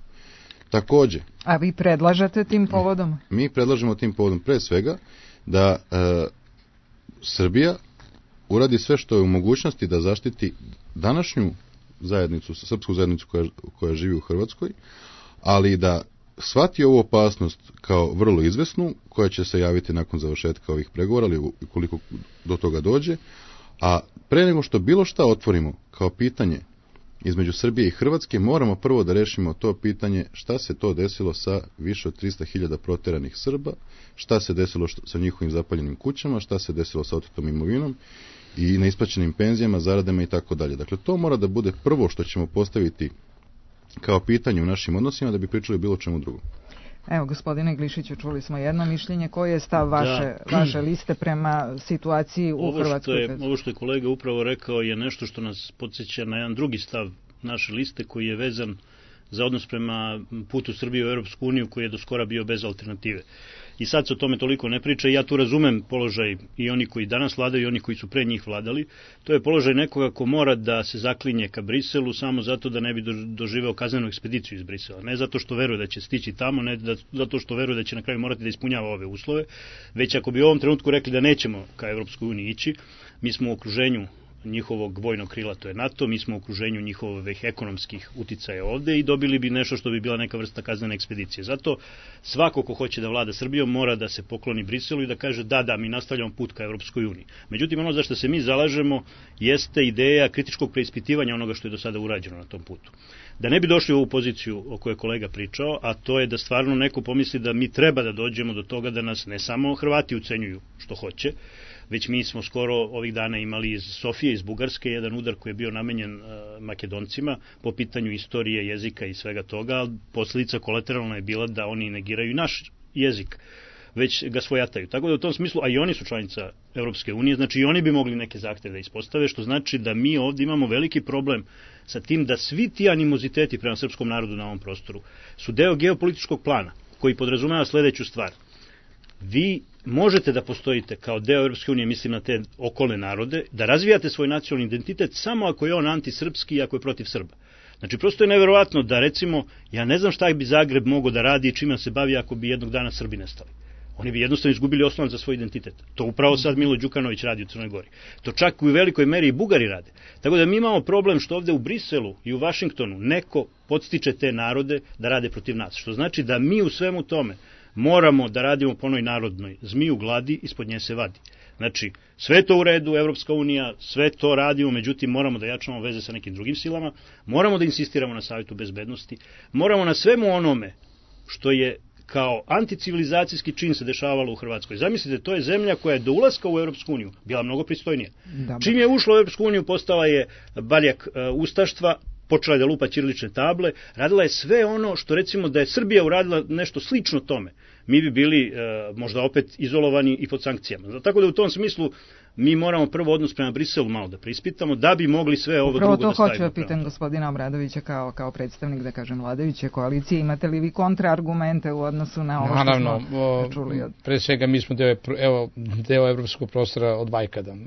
Takođe, a vi predlažete tim povodom? Mi predlažemo tim povodom pre svega da e, Srbija uradi sve što je u mogućnosti da zaštiti današnju zajednicu, srpsku zajednicu koja, koja živi u Hrvatskoj, ali da shvati ovu opasnost kao vrlo izvesnu, koja će se javiti nakon završetka ovih pregovora, ali koliko do toga dođe, a pre nego što bilo šta otvorimo kao pitanje između Srbije i Hrvatske, moramo prvo da rešimo to pitanje šta se to desilo sa više od trista hiljada proteranih Srba, šta se desilo sa njihovim zapaljenim kućama, šta se desilo sa otetom imovinom i neisplaćenim penzijama, zaradama i tako dalje. Dakle, to mora da bude prvo što ćemo postaviti kao pitanje u našim odnosima da bi pričali bilo čemu drugom. Evo, gospodine Glišiću, čuli smo jedno mišljenje. Koji je stav vaše, da. vaše liste prema situaciji u ovo Hrvatskoj? Što je, ovo što je kolega upravo rekao je nešto što nas podsjeća na jedan drugi stav naše liste koji je vezan za odnos prema putu Srbije u Europsku uniju koji je do skora bio bez alternative. I sad se o tome toliko ne priča i ja tu razumem položaj i oni koji danas vladaju i oni koji su pre njih vladali. To je položaj nekoga ko mora da se zaklinje ka Briselu samo zato da ne bi doživeo kaznenu ekspediciju iz Brisela. Ne zato što veruje da će stići tamo, ne da, zato što veruje da će na kraju morati da ispunjava ove uslove, već ako bi u ovom trenutku rekli da nećemo ka Evropskoj uniji ići, mi smo u okruženju njihovog vojnog krila, to je NATO, mi smo u okruženju njihovih ekonomskih uticaja ovde i dobili bi nešto što bi bila neka vrsta kaznene ekspedicije. Zato svako ko hoće da vlada Srbijom mora da se pokloni Briselu i da kaže da, da, mi nastavljamo put ka Evropskoj uniji. Međutim, ono za što se mi zalažemo jeste ideja kritičkog preispitivanja onoga što je do sada urađeno na tom putu. Da ne bi došli u ovu poziciju o kojoj je kolega pričao, a to je da stvarno neko pomisli da mi treba da dođemo do toga da nas ne samo Hrvati ucenjuju što hoće, već mi smo skoro ovih dana imali iz Sofije, iz Bugarske, jedan udar koji je bio namenjen uh, Makedoncima po pitanju istorije, jezika i svega toga, ali posljedica kolateralna je bila da oni negiraju naš jezik, već ga svojataju. Tako da u tom smislu, a i oni su članica Evropske unije, znači i oni bi mogli neke zahteve da ispostave, što znači da mi ovdje imamo veliki problem sa tim da svi ti animoziteti prema srpskom narodu na ovom prostoru su deo geopolitičkog plana, koji podrazumeva sledeću stvar. Vi možete da postojite kao deo Europske unije, mislim na te okolne narode, da razvijate svoj nacionalni identitet samo ako je on antisrpski i ako je protiv Srba. Znači, prosto je neverovatno da, recimo, ja ne znam šta bi Zagreb mogao da radi i čime se bavi ako bi jednog dana Srbi nestali. Oni bi jednostavno izgubili osnovac za svoj identitet. To upravo sad Milo Đukanović radi u Crnoj Gori. To čak u velikoj meri i Bugari rade. Tako da mi imamo problem što ovde u Briselu i u Vašingtonu neko podstiče te narode da rade protiv nas. Što znači da mi u svemu tome moramo da radimo po onoj narodnoj zmiju gladi, ispod nje se vadi. Znači, sve to u redu, Evropska unija, sve to radimo, međutim moramo da jačamo veze sa nekim drugim silama, moramo da insistiramo na Savetu bezbednosti, moramo na svemu onome što je kao anticivilizacijski čin se dešavalo u Hrvatskoj. Zamislite, to je zemlja koja je do ulaska u Evropsku uniju bila mnogo pristojnija. Dobar. Čim je ušla u Evropsku uniju, postala je baljak uh, ustaštva, počela je da lupa ćirilične table, radila je sve ono što recimo da je Srbija uradila nešto slično tome. Mi bi bili e, možda opet izolovani i pod sankcijama. Tako da u tom smislu mi moramo prvo odnos prema Briselu malo da preispitamo, da bi mogli sve ovo Upravo drugo da stavimo. Upravo to hoću da pitam gospodina Obradovića kao, kao predstavnik, da kažem, vladajuće koalicije. Imate li vi kontraargumente u odnosu na ovo Naravno, što smo čuli? Od... Pre svega mi smo deo, evo, deo evropskog prostora od vajkada e,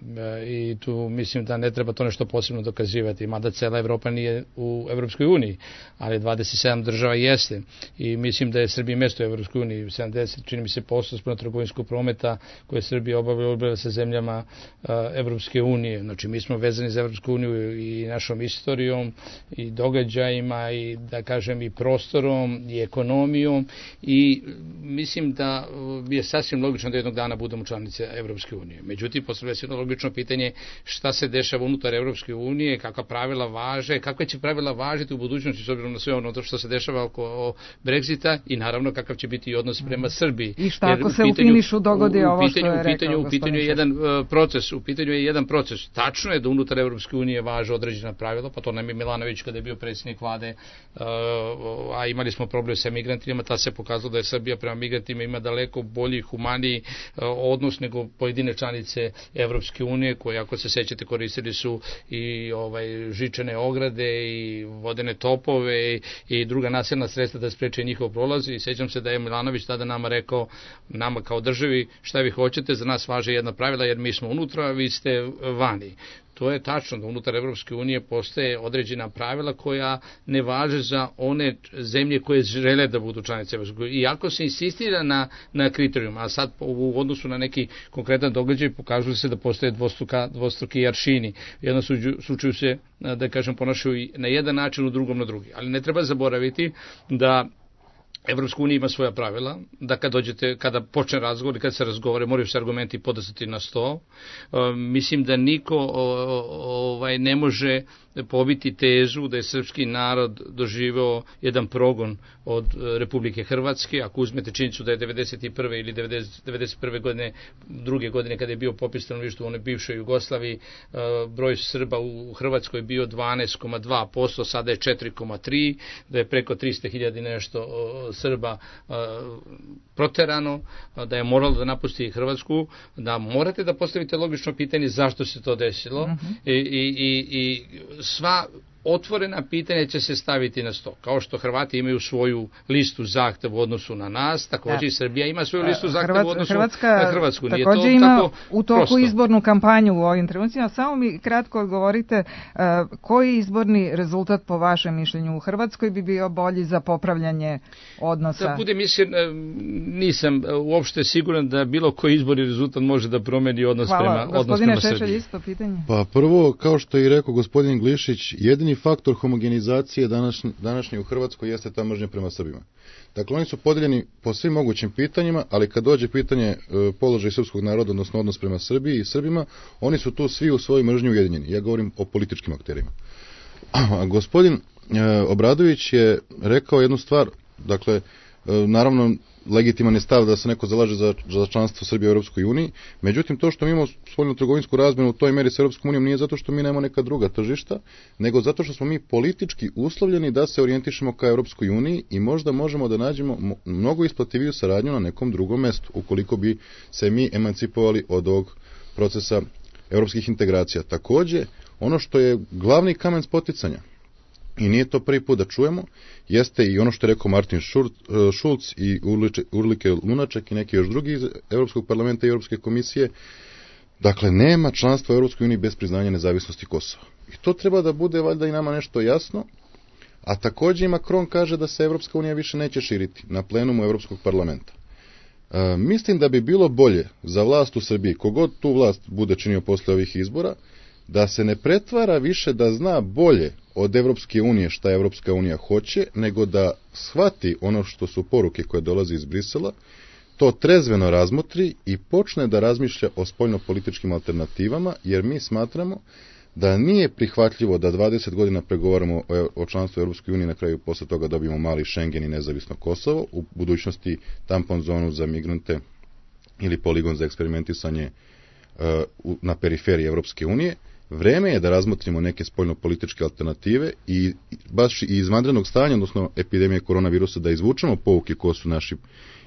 i tu mislim da ne treba to nešto posebno dokazivati, mada cela Evropa nije u Evropskoj uniji, ali dvadeset sedam država jeste i mislim da je Srbija mesto u Evropskoj uniji, sedamdeset, čini mi se, posto spolno trgovinskog prometa koje Srbija obavlja sa zemljama Evropske unije. Znači, mi smo vezani za Evropsku uniju i našom istorijom i događajima i, da kažem, i prostorom i ekonomijom i mislim da je sasvim logično da jednog dana budemo članice Evropske unije. Međutim, postavlja se jedno logično pitanje šta se dešava unutar Evropske unije, kakva pravila važe, kakve će pravila važiti u budućnosti s obzirom na sve ono što se dešava oko Brexita i naravno kakav će biti i odnos prema Srbiji. I šta ako se u finišu dogodi ovo što je rekao gospodin? U pitanju je jedan proces, u pitanju je jedan proces. Tačno je da unutar Evropske unije važe određena pravila, pa to nam je Milanović kada je bio predsjednik vlade, a imali smo problem sa migrantima, ta se pokazalo da je Srbija prema migrantima ima daleko bolji, humaniji odnos nego pojedine članice Evropske unije, koje, ako se sećate, koristili su i ovaj žičane ograde i vodene topove i, i druga nasilna sredstva da spreče njihov prolaz i sećam se da je Milanović tada nama rekao, nama kao državi, šta vi hoćete, za nas važe jedna pravila jer mi smo unutra, vi ste vani. To je tačno da unutar Evropske unije postoje određena pravila koja ne važe za one zemlje koje žele da budu članice Evropske unije. Iako se insistira na, na kriterijum, a sad u odnosu na neki konkretan događaj pokazuje se da postoje dvostruka, dvostruki aršini. U jednom slučaju se, da kažem, ponašaju na jedan način, u drugom na drugi. Ali ne treba zaboraviti da Evropska unija ima svoja pravila, da kad dođete, kada počne razgovor i kad se razgovore, moraju se argumenti podastati na sto. E, mislim da niko o, ovaj, ne može pobiti tezu da je srpski narod doživeo jedan progon od Republike Hrvatske. Ako uzmete činjenicu da je devedeset prve ili devedeset prve godine, druge godine kada je bio popis stanovništva u onoj bivšoj Jugoslaviji, broj Srba u Hrvatskoj bio dvanaest zarez dva posto, sada je četiri zarez tri, da je preko trista hiljada nešto Srba proterano, da je moralo da napusti Hrvatsku, da morate da postavite logično pitanje zašto se to desilo. Uh-huh. I, i, i sva otvorena pitanja će se staviti na sto. Kao što Hrvati imaju svoju listu zahteva u odnosu na nas, također i Srbija ima svoju listu zahteva u odnosu Hrvatska, na Hrvatsku. Nije također to ima tako u toku prosto. Izbornu kampanju u ovim trenucima. Samo mi kratko odgovorite, uh, koji izborni rezultat po vašem mišljenju u Hrvatskoj bi bio bolji za popravljanje odnosa? Da budem iskren, nisam uopšte siguran da bilo koji izborni rezultat može da promeni odnos Hvala. prema, odnos Gospodine prema Šešelj, Srbiji. isto pitanje. Pa prvo, kao što je i rekao gospodin Glišić, jedini faktor homogenizacije današnje, današnje u Hrvatskoj jeste ta mržnja prema Srbima. Dakle, oni su podeljeni po svim mogućim pitanjima, ali kad dođe pitanje e, položaj srpskog naroda, odnosno odnos prema Srbiji i Srbima, oni su tu svi u svojoj mržnji ujedinjeni. Ja govorim o političkim akterima. A gospodin e, Obradović je rekao jednu stvar, dakle, e, naravno, legitiman je stav da se neko zalaže za, za članstvo Srbije u Europskoj uniji, međutim to što mi imamo spoljnu trgovinsku razmenu u toj meri s Europskom unijom nije zato što mi nemamo neka druga tržišta, nego zato što smo mi politički uslovljeni da se orijentišemo ka Europskoj uniji i možda možemo da nađemo mnogo isplativiju saradnju na nekom drugom mestu, ukoliko bi se mi emancipovali od ovog procesa europskih integracija. Takođe, ono što je glavni kamen spoticanja, i nije to prvi put da čujemo, jeste i ono što je rekao Martin Schulz i Urlike Lunaček i neki još drugi iz Europskog parlamenta i Europske komisije. Dakle, nema članstva u Europskoj uniji bez priznanja nezavisnosti Kosova. I to treba da bude valjda i nama nešto jasno, a takođe i Macron kaže da se Europska unija više neće širiti na plenumu Europskog parlamenta. E, mislim da bi bilo bolje za vlast u Srbiji, kogod tu vlast bude činio posle ovih izbora, da se ne pretvara više da zna bolje od Evropske unije šta Evropska unija hoće, nego da shvati ono što su poruke koje dolaze iz Brisela, to trezveno razmotri i počne da razmišlja o spoljnopolitičkim alternativama, jer mi smatramo da nije prihvatljivo da dvadeset godina pregovaramo o, o članstvu Evropske unije, na kraju posle toga dobijemo mali Schengen i nezavisno Kosovo, u budućnosti tampon zonu za migrante ili poligon za eksperimentisanje uh, na periferiji Evropske unije. Vreme je da razmotrimo neke spoljnopolitičke alternative i baš i iz vanrednog stanja, odnosno epidemije koronavirusa, da izvučemo pouke ko su naši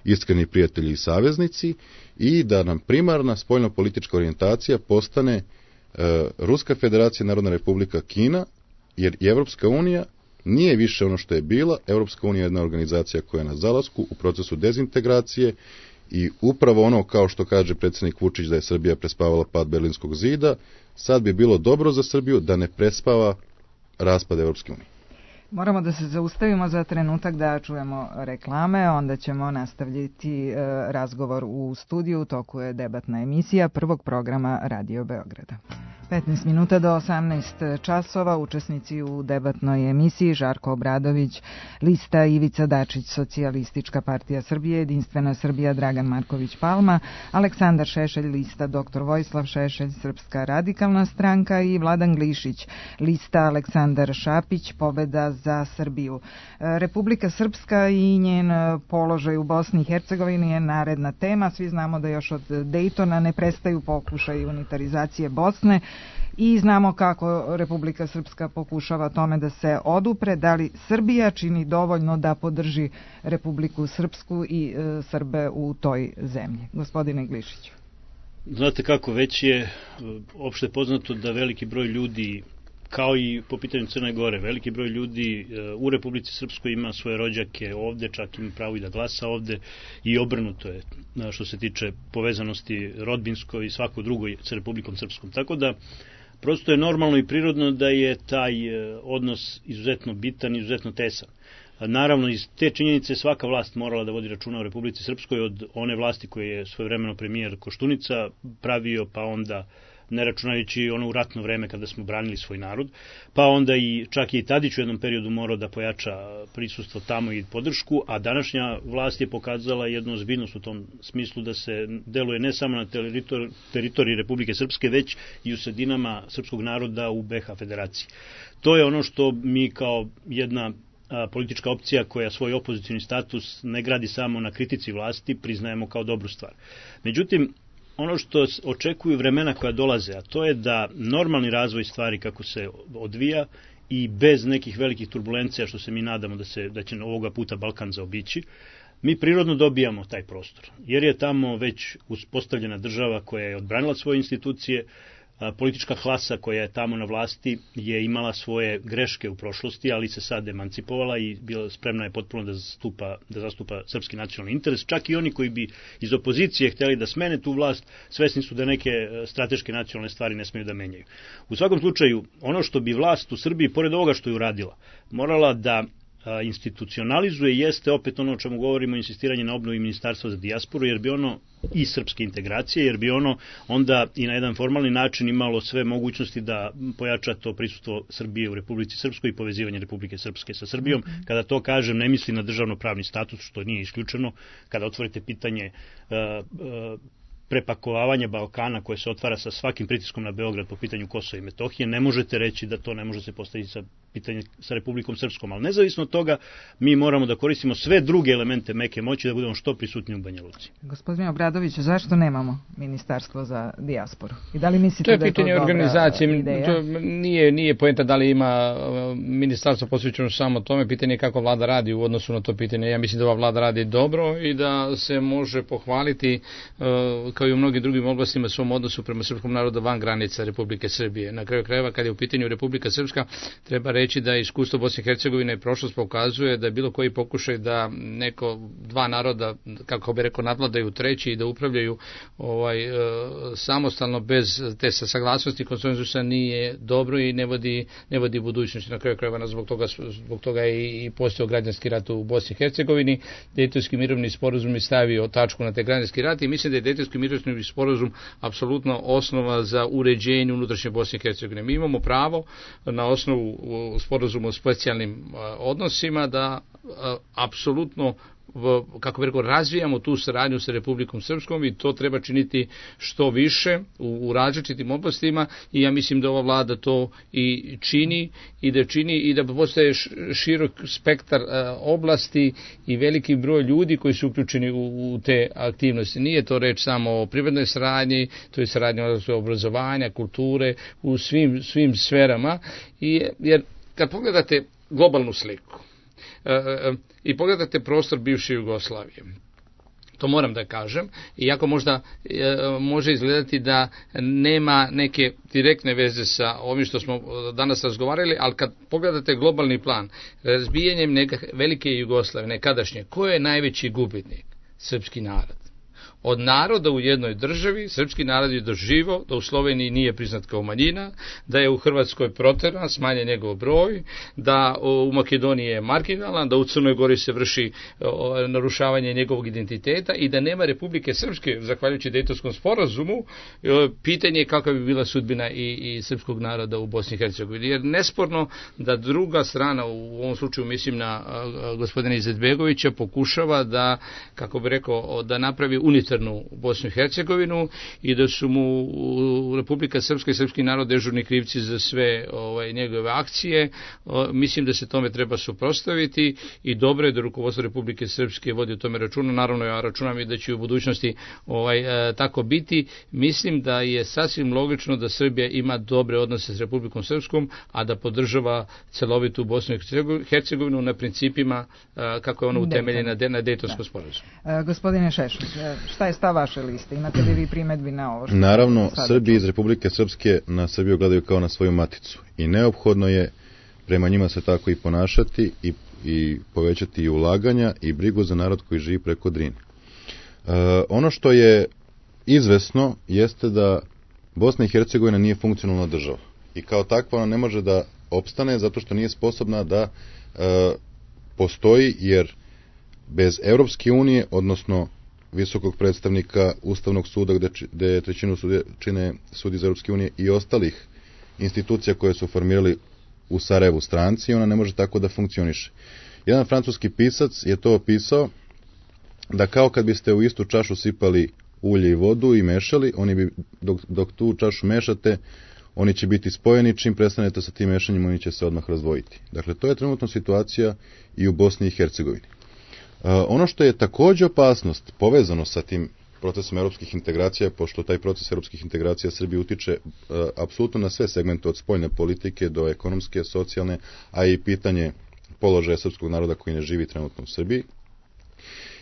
iskreni prijatelji i saveznici i da nam primarna spoljnopolitička orijentacija postane e, Ruska federacija, Narodna republika Kina, jer i Evropska unija nije više ono što je bila. Evropska unija je jedna organizacija koja je na zalasku u procesu dezintegracije i upravo ono, kao što kaže predsjednik Vučić, da je Srbija prespavala pad Berlinskog zida, sad bi bilo dobro za Srbiju da ne prespava raspad Evropske unije. Moramo da se zaustavimo za trenutak da čujemo reklame, onda ćemo nastavljati e, razgovor u studiju, u toku je debatna emisija prvog programa Radio Beograda. petnaest minuta do osamnaest časova, učesnici u debatnoj emisiji Žarko Obradović, lista Ivica Dačić, Socijalistička partija Srbije, Jedinstvena Srbija Dragan Marković Palma, Aleksandar Šešelj, lista doktor Vojislav Šešelj, Srpska radikalna stranka i Vladan Glišić, lista Aleksandar Šapić, Pobeda za Srbiju. Republika Srpska i njen položaj u Bosni i Hercegovini je naredna tema. Svi znamo da još od Dejtona ne prestaju pokušaj unitarizacije Bosne i znamo kako Republika Srpska pokušava tome da se odupre. Da li Srbija čini dovoljno da podrži Republiku Srpsku i e, Srbe u toj zemlji? Gospodine Glišiću. Znate kako, već je opšte poznato da veliki broj ljudi, kao i po pitanju Crne Gore, veliki broj ljudi u Republici Srpskoj ima svoje rođake ovde, čak ima pravo i da glasa ovde i obrnuto je što se tiče povezanosti rodbinskoj i svako drugo sa Republikom Srpskom. Tako da prosto je normalno i prirodno da je taj odnos izuzetno bitan, izuzetno tesan. Naravno, iz te činjenice svaka vlast morala da vodi računa o Republici Srpskoj, od one vlasti koje je svojevremeno premijer Koštunica pravio, pa onda ne računajući ono u ratno vreme kada smo branili svoj narod, pa onda i čak i Tadić u jednom periodu morao da pojača prisustvo tamo i podršku, a današnja vlast je pokazala jednu ozbiljnost u tom smislu da se deluje ne samo na teritor, teritoriji Republike Srpske, već i u sredinama srpskog naroda u be ha federaciji. To je ono što mi kao jedna a, politička opcija koja svoj opozicioni status ne gradi samo na kritici vlasti, priznajemo kao dobru stvar. Međutim, ono što očekuju vremena koja dolaze, a to je da normalni razvoj stvari kako se odvija i bez nekih velikih turbulencija, što se mi nadamo da, se, da će ovoga puta Balkan zaobići, mi prirodno dobijamo taj prostor. Jer je tamo već uspostavljena država koja je odbranila svoje institucije, politička klasa koja je tamo na vlasti je imala svoje greške u prošlosti, ali se sad emancipovala i bila spremna je potpuno da zastupa, da zastupa srpski nacionalni interes. Čak i oni koji bi iz opozicije htjeli da smene tu vlast, svesni su da neke strateške nacionalne stvari ne smeju da menjaju. U svakom slučaju, ono što bi vlast u Srbiji, pored ovoga što je uradila, morala da institucionalizuje jeste opet ono o čemu govorimo, insistiranje na obnovi ministarstva za dijasporu, jer bi ono i srpske integracije, jer bi ono onda i na jedan formalni način imalo sve mogućnosti da pojača to prisustvo Srbije u Republici Srpskoj i povezivanje Republike Srpske sa Srbijom. Kada to kažem, ne mislim na državno-pravni status, što nije isključeno. Kada otvorite pitanje uh, uh, prepakovavanje Balkana koje se otvara sa svakim pritiskom na Beograd po pitanju Kosova i Metohije, ne možete reći da to ne može se postaviti sa pitanje sa Republikom Srpskom, ali nezavisno od toga mi moramo da koristimo sve druge elemente meke moći da budemo što prisutniji u Banja Luci. Gospodine Obradović, zašto nemamo ministarstvo za dijasporu? I da li mislite to je da je to pitanje organizacije, ideja? To nije, nije poenta da li ima ministarstvo posvećeno samo tome, pitanje je kako vlada radi u odnosu na to pitanje. Ja mislim da ova vlada radi dobro i da se može pohvaliti kao i u mnogim drugim oblastima svom odnosu prema srpskom narodu van granica Republike Srbije. Na kraju krajeva, kad je u pitanju Republika Srpska, treba reći da iskustvo Bosne i Hercegovine i prošlost pokazuje da je bilo koji pokušaj da neko, dva naroda, kako bi rekao, nadvladaju treći i da upravljaju ovaj, e, samostalno bez te saglasnosti konsenzusa nije dobro i ne vodi, ne vodi budućnosti. Na kraju krajeva, zbog toga, zbog toga je i postojao građanski rat u Bosni i Hercegovini. Dejtonski mirovni sporazum je stavio tačku na taj građanski rat i mislim da je Dejtonski mirovni sporazum apsolutno osnova za uređenje unutrašnje Bosne i Hercegovine. Mi imamo pravo na osnovu sporazuma o specijalnim odnosima da apsolutno, kako bih rekao, razvijamo tu saradnju sa Republikom Srpskom i to treba činiti što više u, u različitim oblastima i ja mislim da ova vlada to i čini i da čini i da postoje širok spektar oblasti i veliki broj ljudi koji su uključeni u, u te aktivnosti. Nije to reč samo o privrednoj saradnji, to je saradnja obrazovanja, kulture, u svim, svim sferama i, jer kad pogledate globalnu sliku i pogledate prostor bivše Jugoslavije, to moram da kažem, iako možda e, može izgledati da nema neke direktne veze sa ovim što smo danas razgovarali, ali kad pogledate globalni plan, razbijanjem neka velike Jugoslavije, nekadašnje, ko je najveći gubitnik? Srpski narod. Od naroda u jednoj državi, srpski narod je doživao da u Sloveniji nije priznat kao manjina, da je u Hrvatskoj proteran, smanjen njegov broj, da u Makedoniji je marginalan, da u Crnoj Gori se vrši o, narušavanje njegovog identiteta i da nema Republike Srpske, zahvaljujući Dejtonskom sporazumu, o, pitanje je kakva bi bila sudbina i, i srpskog naroda u Bosni i Hercegovini. Jer nesporno da druga strana, u ovom slučaju mislim na a, gospodina Izetbegovića, pokušava da, kako bi rekao, da napravi unitarnu Bosnu i Hercegovinu i da su mu Republika Srpska i srpski narod dežurni krivci za sve ovaj, njegove akcije. O, mislim da se tome treba suprotstaviti i dobro je da rukovodstvo Republike Srpske vodi o tome računa. Naravno, ja računam i da će u budućnosti ovaj, e, tako biti. Mislim da je sasvim logično da Srbija ima dobre odnose s Republikom Srpskom, a da podržava celovitu Bosnu i Hercegovinu na principima e, kako je ona utemeljena na Dejtonskom sporazumu. E, gospodine Šešelj, šta je stav vaše liste? Imate li vi primedbi na ovo? Što Naravno, Srbi iz Republike Srpske na Srbiju gledaju kao na svoju maticu i neophodno je prema njima se tako i ponašati i, i povećati i ulaganja i brigu za narod koji živi preko Drine. E, ono što je izvesno jeste da Bosna i Hercegovina nije funkcionalna država i kao takva ona ne može da opstane zato što nije sposobna da e, postoji, jer bez Europske unije, odnosno visokog predstavnika Ustavnog suda gde, gde trećinu sudje, čine sudi iz Europske unije i ostalih institucija koje su formirali u Sarajevu stranci, ona ne može tako da funkcioniše. Jedan francuski pisac je to opisao da kao kad biste u istu čašu sipali ulje i vodu i mešali, oni bi, dok, dok tu čašu mešate, oni će biti spojeni, čim prestanete sa tim mešanjem, oni će se odmah razdvojiti. Dakle, to je trenutno situacija i u Bosni i Hercegovini. Uh, ono što je također opasnost povezano sa tim procesom europskih integracija, pošto taj proces europskih integracija Srbije utiče uh, apsolutno na sve segmente od spoljne politike do ekonomske, socijalne, a i pitanje položaja srpskog naroda koji ne živi trenutno u Srbiji,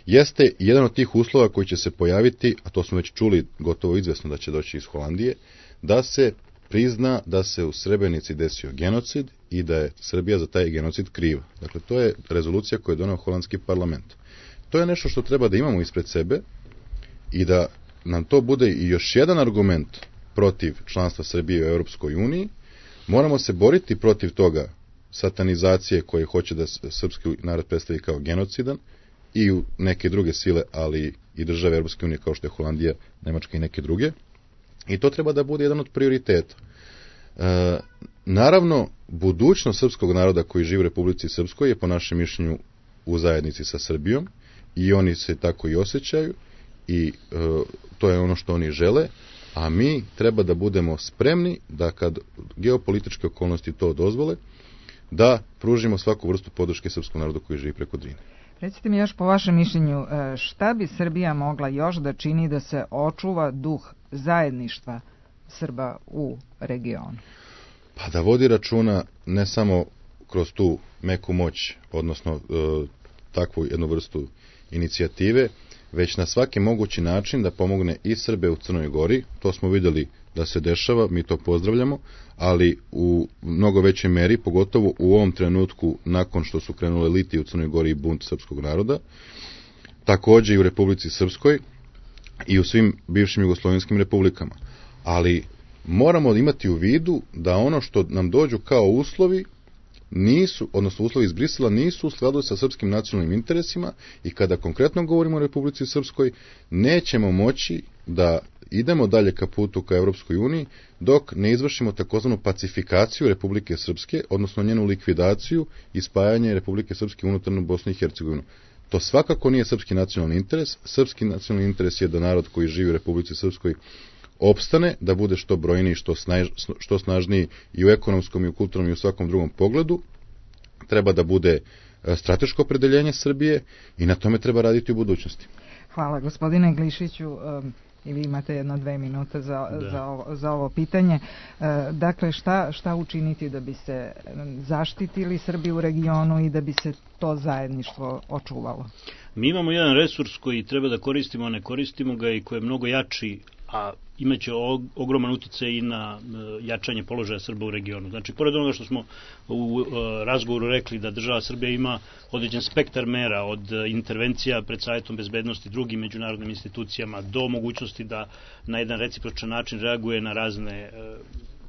jeste jedan od tih uslova koji će se pojaviti, a to smo već čuli gotovo izvesno da će doći iz Holandije, da se prizna da se u Srebrenici desio genocid i da je Srbija za taj genocid kriva. Dakle, to je rezolucija koju je doneo holandski parlament. To je nešto što treba da imamo ispred sebe i da nam to bude i još jedan argument protiv članstva Srbije u Europskoj uniji. Moramo se boriti protiv toga satanizacije koje hoće da srpski narod predstavi kao genocidan i u neke druge sile, ali i države Europske unije kao što je Holandija, Nemačka i neke druge. I to treba da bude jedan od prioriteta. E, naravno, budućnost srpskog naroda koji živi u Republici Srpskoj je po našem mišljenju u zajednici sa Srbijom i oni se tako i osjećaju i e, to je ono što oni žele, a mi treba da budemo spremni da kad geopolitičke okolnosti to dozvole, da pružimo svaku vrstu podrške srpskom narodu koji živi preko Drine. Recite mi još po vašem mišljenju, šta bi Srbija mogla još da čini da se očuva duh zajedništva Srba u regionu? Pa da vodi računa ne samo kroz tu meku moć, odnosno e, takvu jednu vrstu inicijative, već na svaki mogući način da pomogne i Srbe u Crnoj Gori. To smo vidjeli da se dešava, mi to pozdravljamo, ali u mnogo većoj meri, pogotovo u ovom trenutku nakon što su krenule litije u Crnoj Gori i bunt srpskog naroda, također i u Republici Srpskoj i u svim bivšim jugoslovenskim republikama. Ali moramo imati u vidu da ono što nam dođu kao uslovi nisu, odnosno uslovi iz Brisela nisu u skladu sa srpskim nacionalnim interesima i kada konkretno govorimo o Republici Srpskoj, nećemo moći da idemo dalje ka putu ka Europskoj uniji dok ne izvršimo takozvanu pacifikaciju Republike Srpske, odnosno njenu likvidaciju i spajanje Republike Srpske unutarnju Bosnu i Hercegovinu. To svakako nije srpski nacionalni interes. Srpski nacionalni interes je da narod koji živi u Republici Srpskoj opstane, da bude što brojniji, što, snaž, što snažniji i u ekonomskom i u kulturnom i u svakom drugom pogledu. Treba da bude strateško opredeljenje Srbije i na tome treba raditi u budućnosti. Hvala gospodine Glišiću. I vi imate jedno dve minute za, za, ovo, za ovo pitanje. Dakle, šta, šta učiniti da bi se zaštitili Srbi u regionu i da bi se to zajedništvo očuvalo? Mi imamo jedan resurs koji treba da koristimo, a ne koristimo ga i koji je mnogo jači, a imaće ogroman utjecaj i na jačanje položaja Srba u regionu. Znači, pored onoga što smo u razgovoru rekli da država Srbija ima određen spektar mera od intervencija pred Savjetom bezbednosti, drugim međunarodnim institucijama, do mogućnosti da na jedan recipročan način reaguje na razne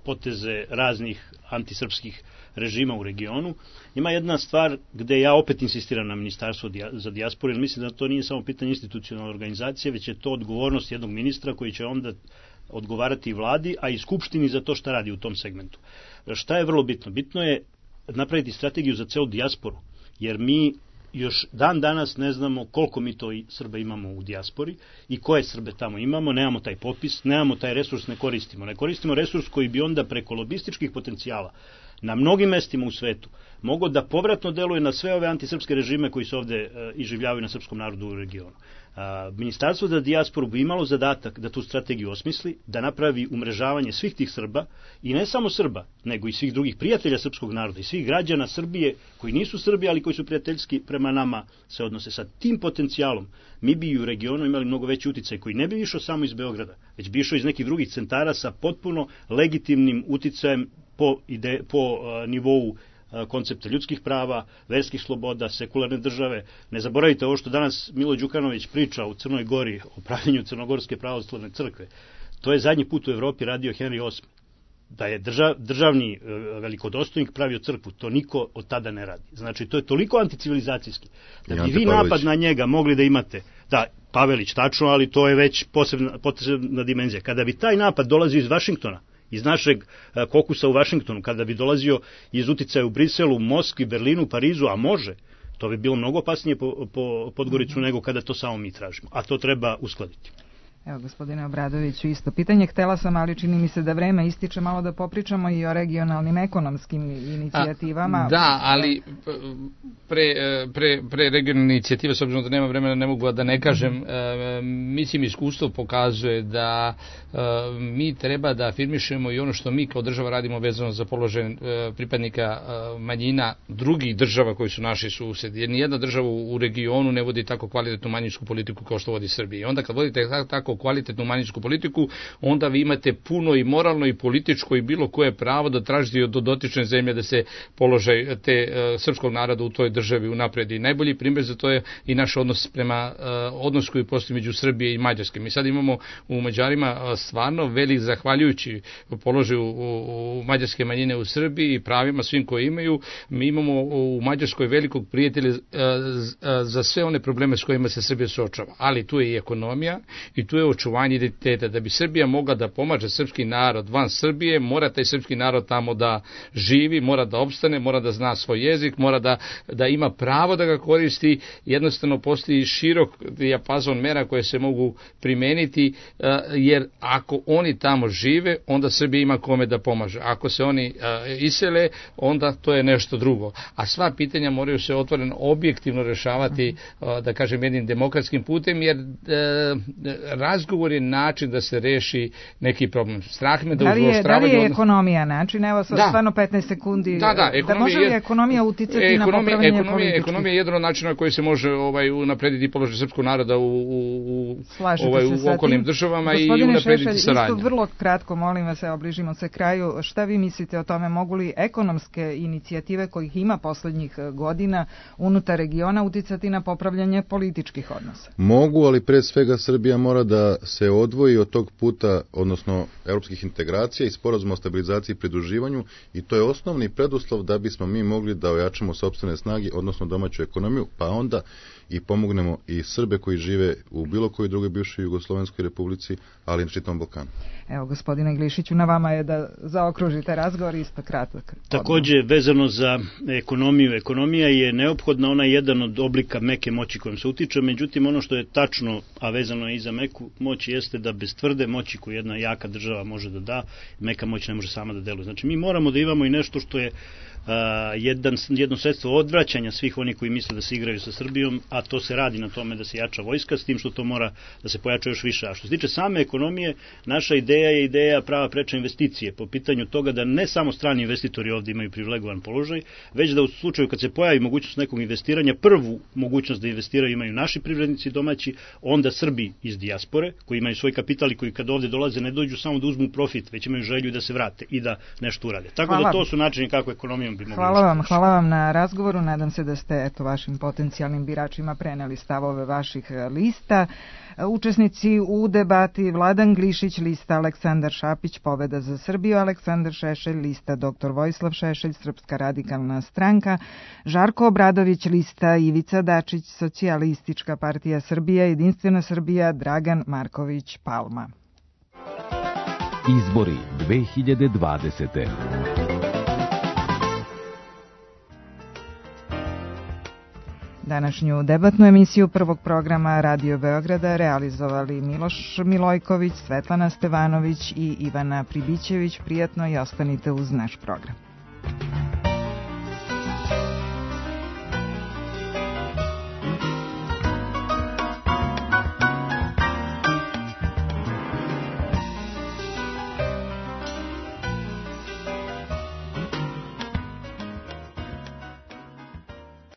poteze raznih antisrpskih režima u regionu. Ima jedna stvar gde ja opet insistiram na Ministarstvo za dijasporu, jer mislim da to nije samo pitanje institucionalne organizacije, već je to odgovornost jednog ministra koji će onda odgovarati i vladi, a i skupštini za to šta radi u tom segmentu. Šta je vrlo bitno? Bitno je napraviti strategiju za celu dijasporu, jer mi još dan danas ne znamo koliko mi to Srba imamo u dijaspori i koje Srbe tamo imamo, nemamo taj popis, nemamo taj resurs, ne koristimo. Ne koristimo resurs koji bi onda preko lobističkih potencijala na mnogim mestima u svetu mogao da povratno deluje na sve ove antisrpske režime koji se ovde uh, iživljavaju na srpskom narodu u regionu. Uh, Ministarstvo za dijasporu bi imalo zadatak da tu strategiju osmisli, da napravi umrežavanje svih tih Srba i ne samo Srba, nego i svih drugih prijatelja srpskog naroda i svih građana Srbije koji nisu Srbi, ali koji su prijateljski prema nama se odnose. Sa tim potencijalom mi bi u regionu imali mnogo veći uticaj koji ne bi išao samo iz Beograda, već bi išao iz nekih drugih centara sa potpuno legitimnim uticajem po, ide, po uh, nivou uh, koncepta ljudskih prava, verskih sloboda, sekularne države. Ne zaboravite ovo što danas Milo Đukanović priča u Crnoj Gori o pravljenju Crnogorske pravoslavne crkve. To je zadnji put u Evropi radio Henry osmi. Da je držav, državni uh, velikodostojnik pravio crkvu, to niko od tada ne radi. Znači, to je toliko anticivilizacijski. Da bi vi napad na njega mogli da imate, da Pavelić, tačno, ali to je već posebna, posebna dimenzija. Kada bi taj napad dolazio iz Vašingtona, iz našeg kokusa u Vašingtonu, kada bi dolazio iz uticaja u Briselu, Moskvi, Berlinu, Parizu, a može, to bi bilo mnogo opasnije po, po Podgoricu nego kada to samo mi tražimo. A to treba uskladiti. Evo, gospodine Obradoviću, isto pitanje. Htela sam, ali čini mi se da vreme ističe, malo da popričamo i o regionalnim ekonomskim inicijativama. A, da, ali pre, pre, pre regionalne inicijative, s obzirom da nema vremena, ne mogu da ne kažem, mm-hmm. mislim, iskustvo pokazuje da mi treba da afirmišemo i ono što mi kao država radimo vezano za položaj pripadnika manjina drugih država koji su naši susedi. Jer nijedna država u regionu ne vodi tako kvalitetnu manjinsku politiku kao što vodi Srbija. I onda kad vodite tako kvalitetnu manjinsku politiku, onda vi imate puno i moralno i političko i bilo koje pravo da tražite od dotične zemlje da se položaj te uh, srpskog naroda u toj državi unapredi. Najbolji primjer za to je i naš odnos prema uh, odnos koji postoji među Srbije i Mađarske. Mi sad imamo u Mađarima uh, stvarno velik, zahvaljujući položaju u, u mađarske manjine u Srbiji i pravima svim koje imaju, mi imamo u Mađarskoj velikog prijatelja uh, za sve one probleme s kojima se Srbija suočava. Ali tu je i ekonomija i tu je očuvanje identiteta. Da bi Srbija mogla da pomaže srpski narod van Srbije, mora taj srpski narod tamo da živi, mora da opstane, mora da zna svoj jezik, mora da, da ima pravo da ga koristi. Jednostavno postoji širok dijapazon mera koje se mogu primeniti, jer ako oni tamo žive, onda Srbija ima kome da pomaže. Ako se oni isele, onda to je nešto drugo. A sva pitanja moraju se otvoreno objektivno rešavati, da kažem, jednim demokratskim putem, jer razgovor je način da se reši neki problem. Strah me da, da li je, da li je ekonomija način? Evo sad da. Stvarno petnaest sekundi. Da, da, da može li ekonomija uticati ekonomija, na popravljanje ekonomija, političkih? Ekonomija je jedan od načina koji se može ovaj, unaprediti položaj srpskog naroda u, u, u, ovaj, u okolnim državama. Gospodine i unaprediti Šešelj, saradnju. Isto vrlo kratko, molim vas, evo, bližimo se kraju. Šta vi mislite o tome? Mogu li ekonomske inicijative kojih ima poslednjih godina unutar regiona uticati na popravljanje političkih odnosa? Mogu, ali pre svega Srbija mora da se odvoji od tog puta, odnosno evropskih integracija i sporazuma o stabilizaciji i pridruživanju, i to je osnovni preduslov da bismo mi mogli da ojačamo sopstvene snage, odnosno domaću ekonomiju, pa onda i pomognemo i Srbe koji žive u bilo kojoj drugoj bivšoj Jugoslovenskoj republici, ali i na čitavom Balkanu. Evo, gospodine Glišiću, na vama je da zaokružite razgovor isto kratak. Takođe, vezano za ekonomiju, ekonomija je neophodna, ona je jedan od oblika meke moći kojom se utiče, međutim ono što je tačno, a vezano je i za meku moć, jeste da bez tvrde moći koju jedna jaka država može da da, meka moć ne može sama da deluje. Znači mi moramo da imamo i nešto što je Uh, jedan, jedno sredstvo odvraćanja svih oni koji misle da se igraju sa Srbijom, a to se radi na tome da se jača vojska, s tim što to mora da se pojača još više. A što se tiče same ekonomije, naša ideja je ideja prava preča investicije, po pitanju toga da ne samo strani investitori ovdje imaju privilegovan položaj, već da u slučaju kad se pojavi mogućnost nekog investiranja, prvu mogućnost da investiraju imaju naši privrednici domaći, onda Srbi iz dijaspore, koji imaju svoj kapital i koji kad ovdje dolaze ne dođu samo da uzmu profit, već imaju želju da se vrate i da nešto urade. Tako Hvala. Da to su načini kako ekonomijom bi mogli. Hvala vam, hvala vam na razgovoru. Nadam se da ste eto vašim potencijalnim biračima preneli stavove vaših lista. Učesnici u debati: Vladan Glišić, lista Aleksandar Šapić, Pobeda za Srbiju, Aleksandar Šešelj, lista doktor Vojislav Šešelj, Srpska radikalna stranka, Žarko Obradović, lista Ivica Dačić, Socijalistička partija Srbija, Jedinstvena Srbija, Dragan Marković Palma. Izbori dve hiljade dvadesete. Današnju debatnu emisiju prvog programa Radio Beograda realizovali Miloš Milojković, Svetlana Stevanović i Ivana Pribićević. Prijatno i ostanite uz naš program.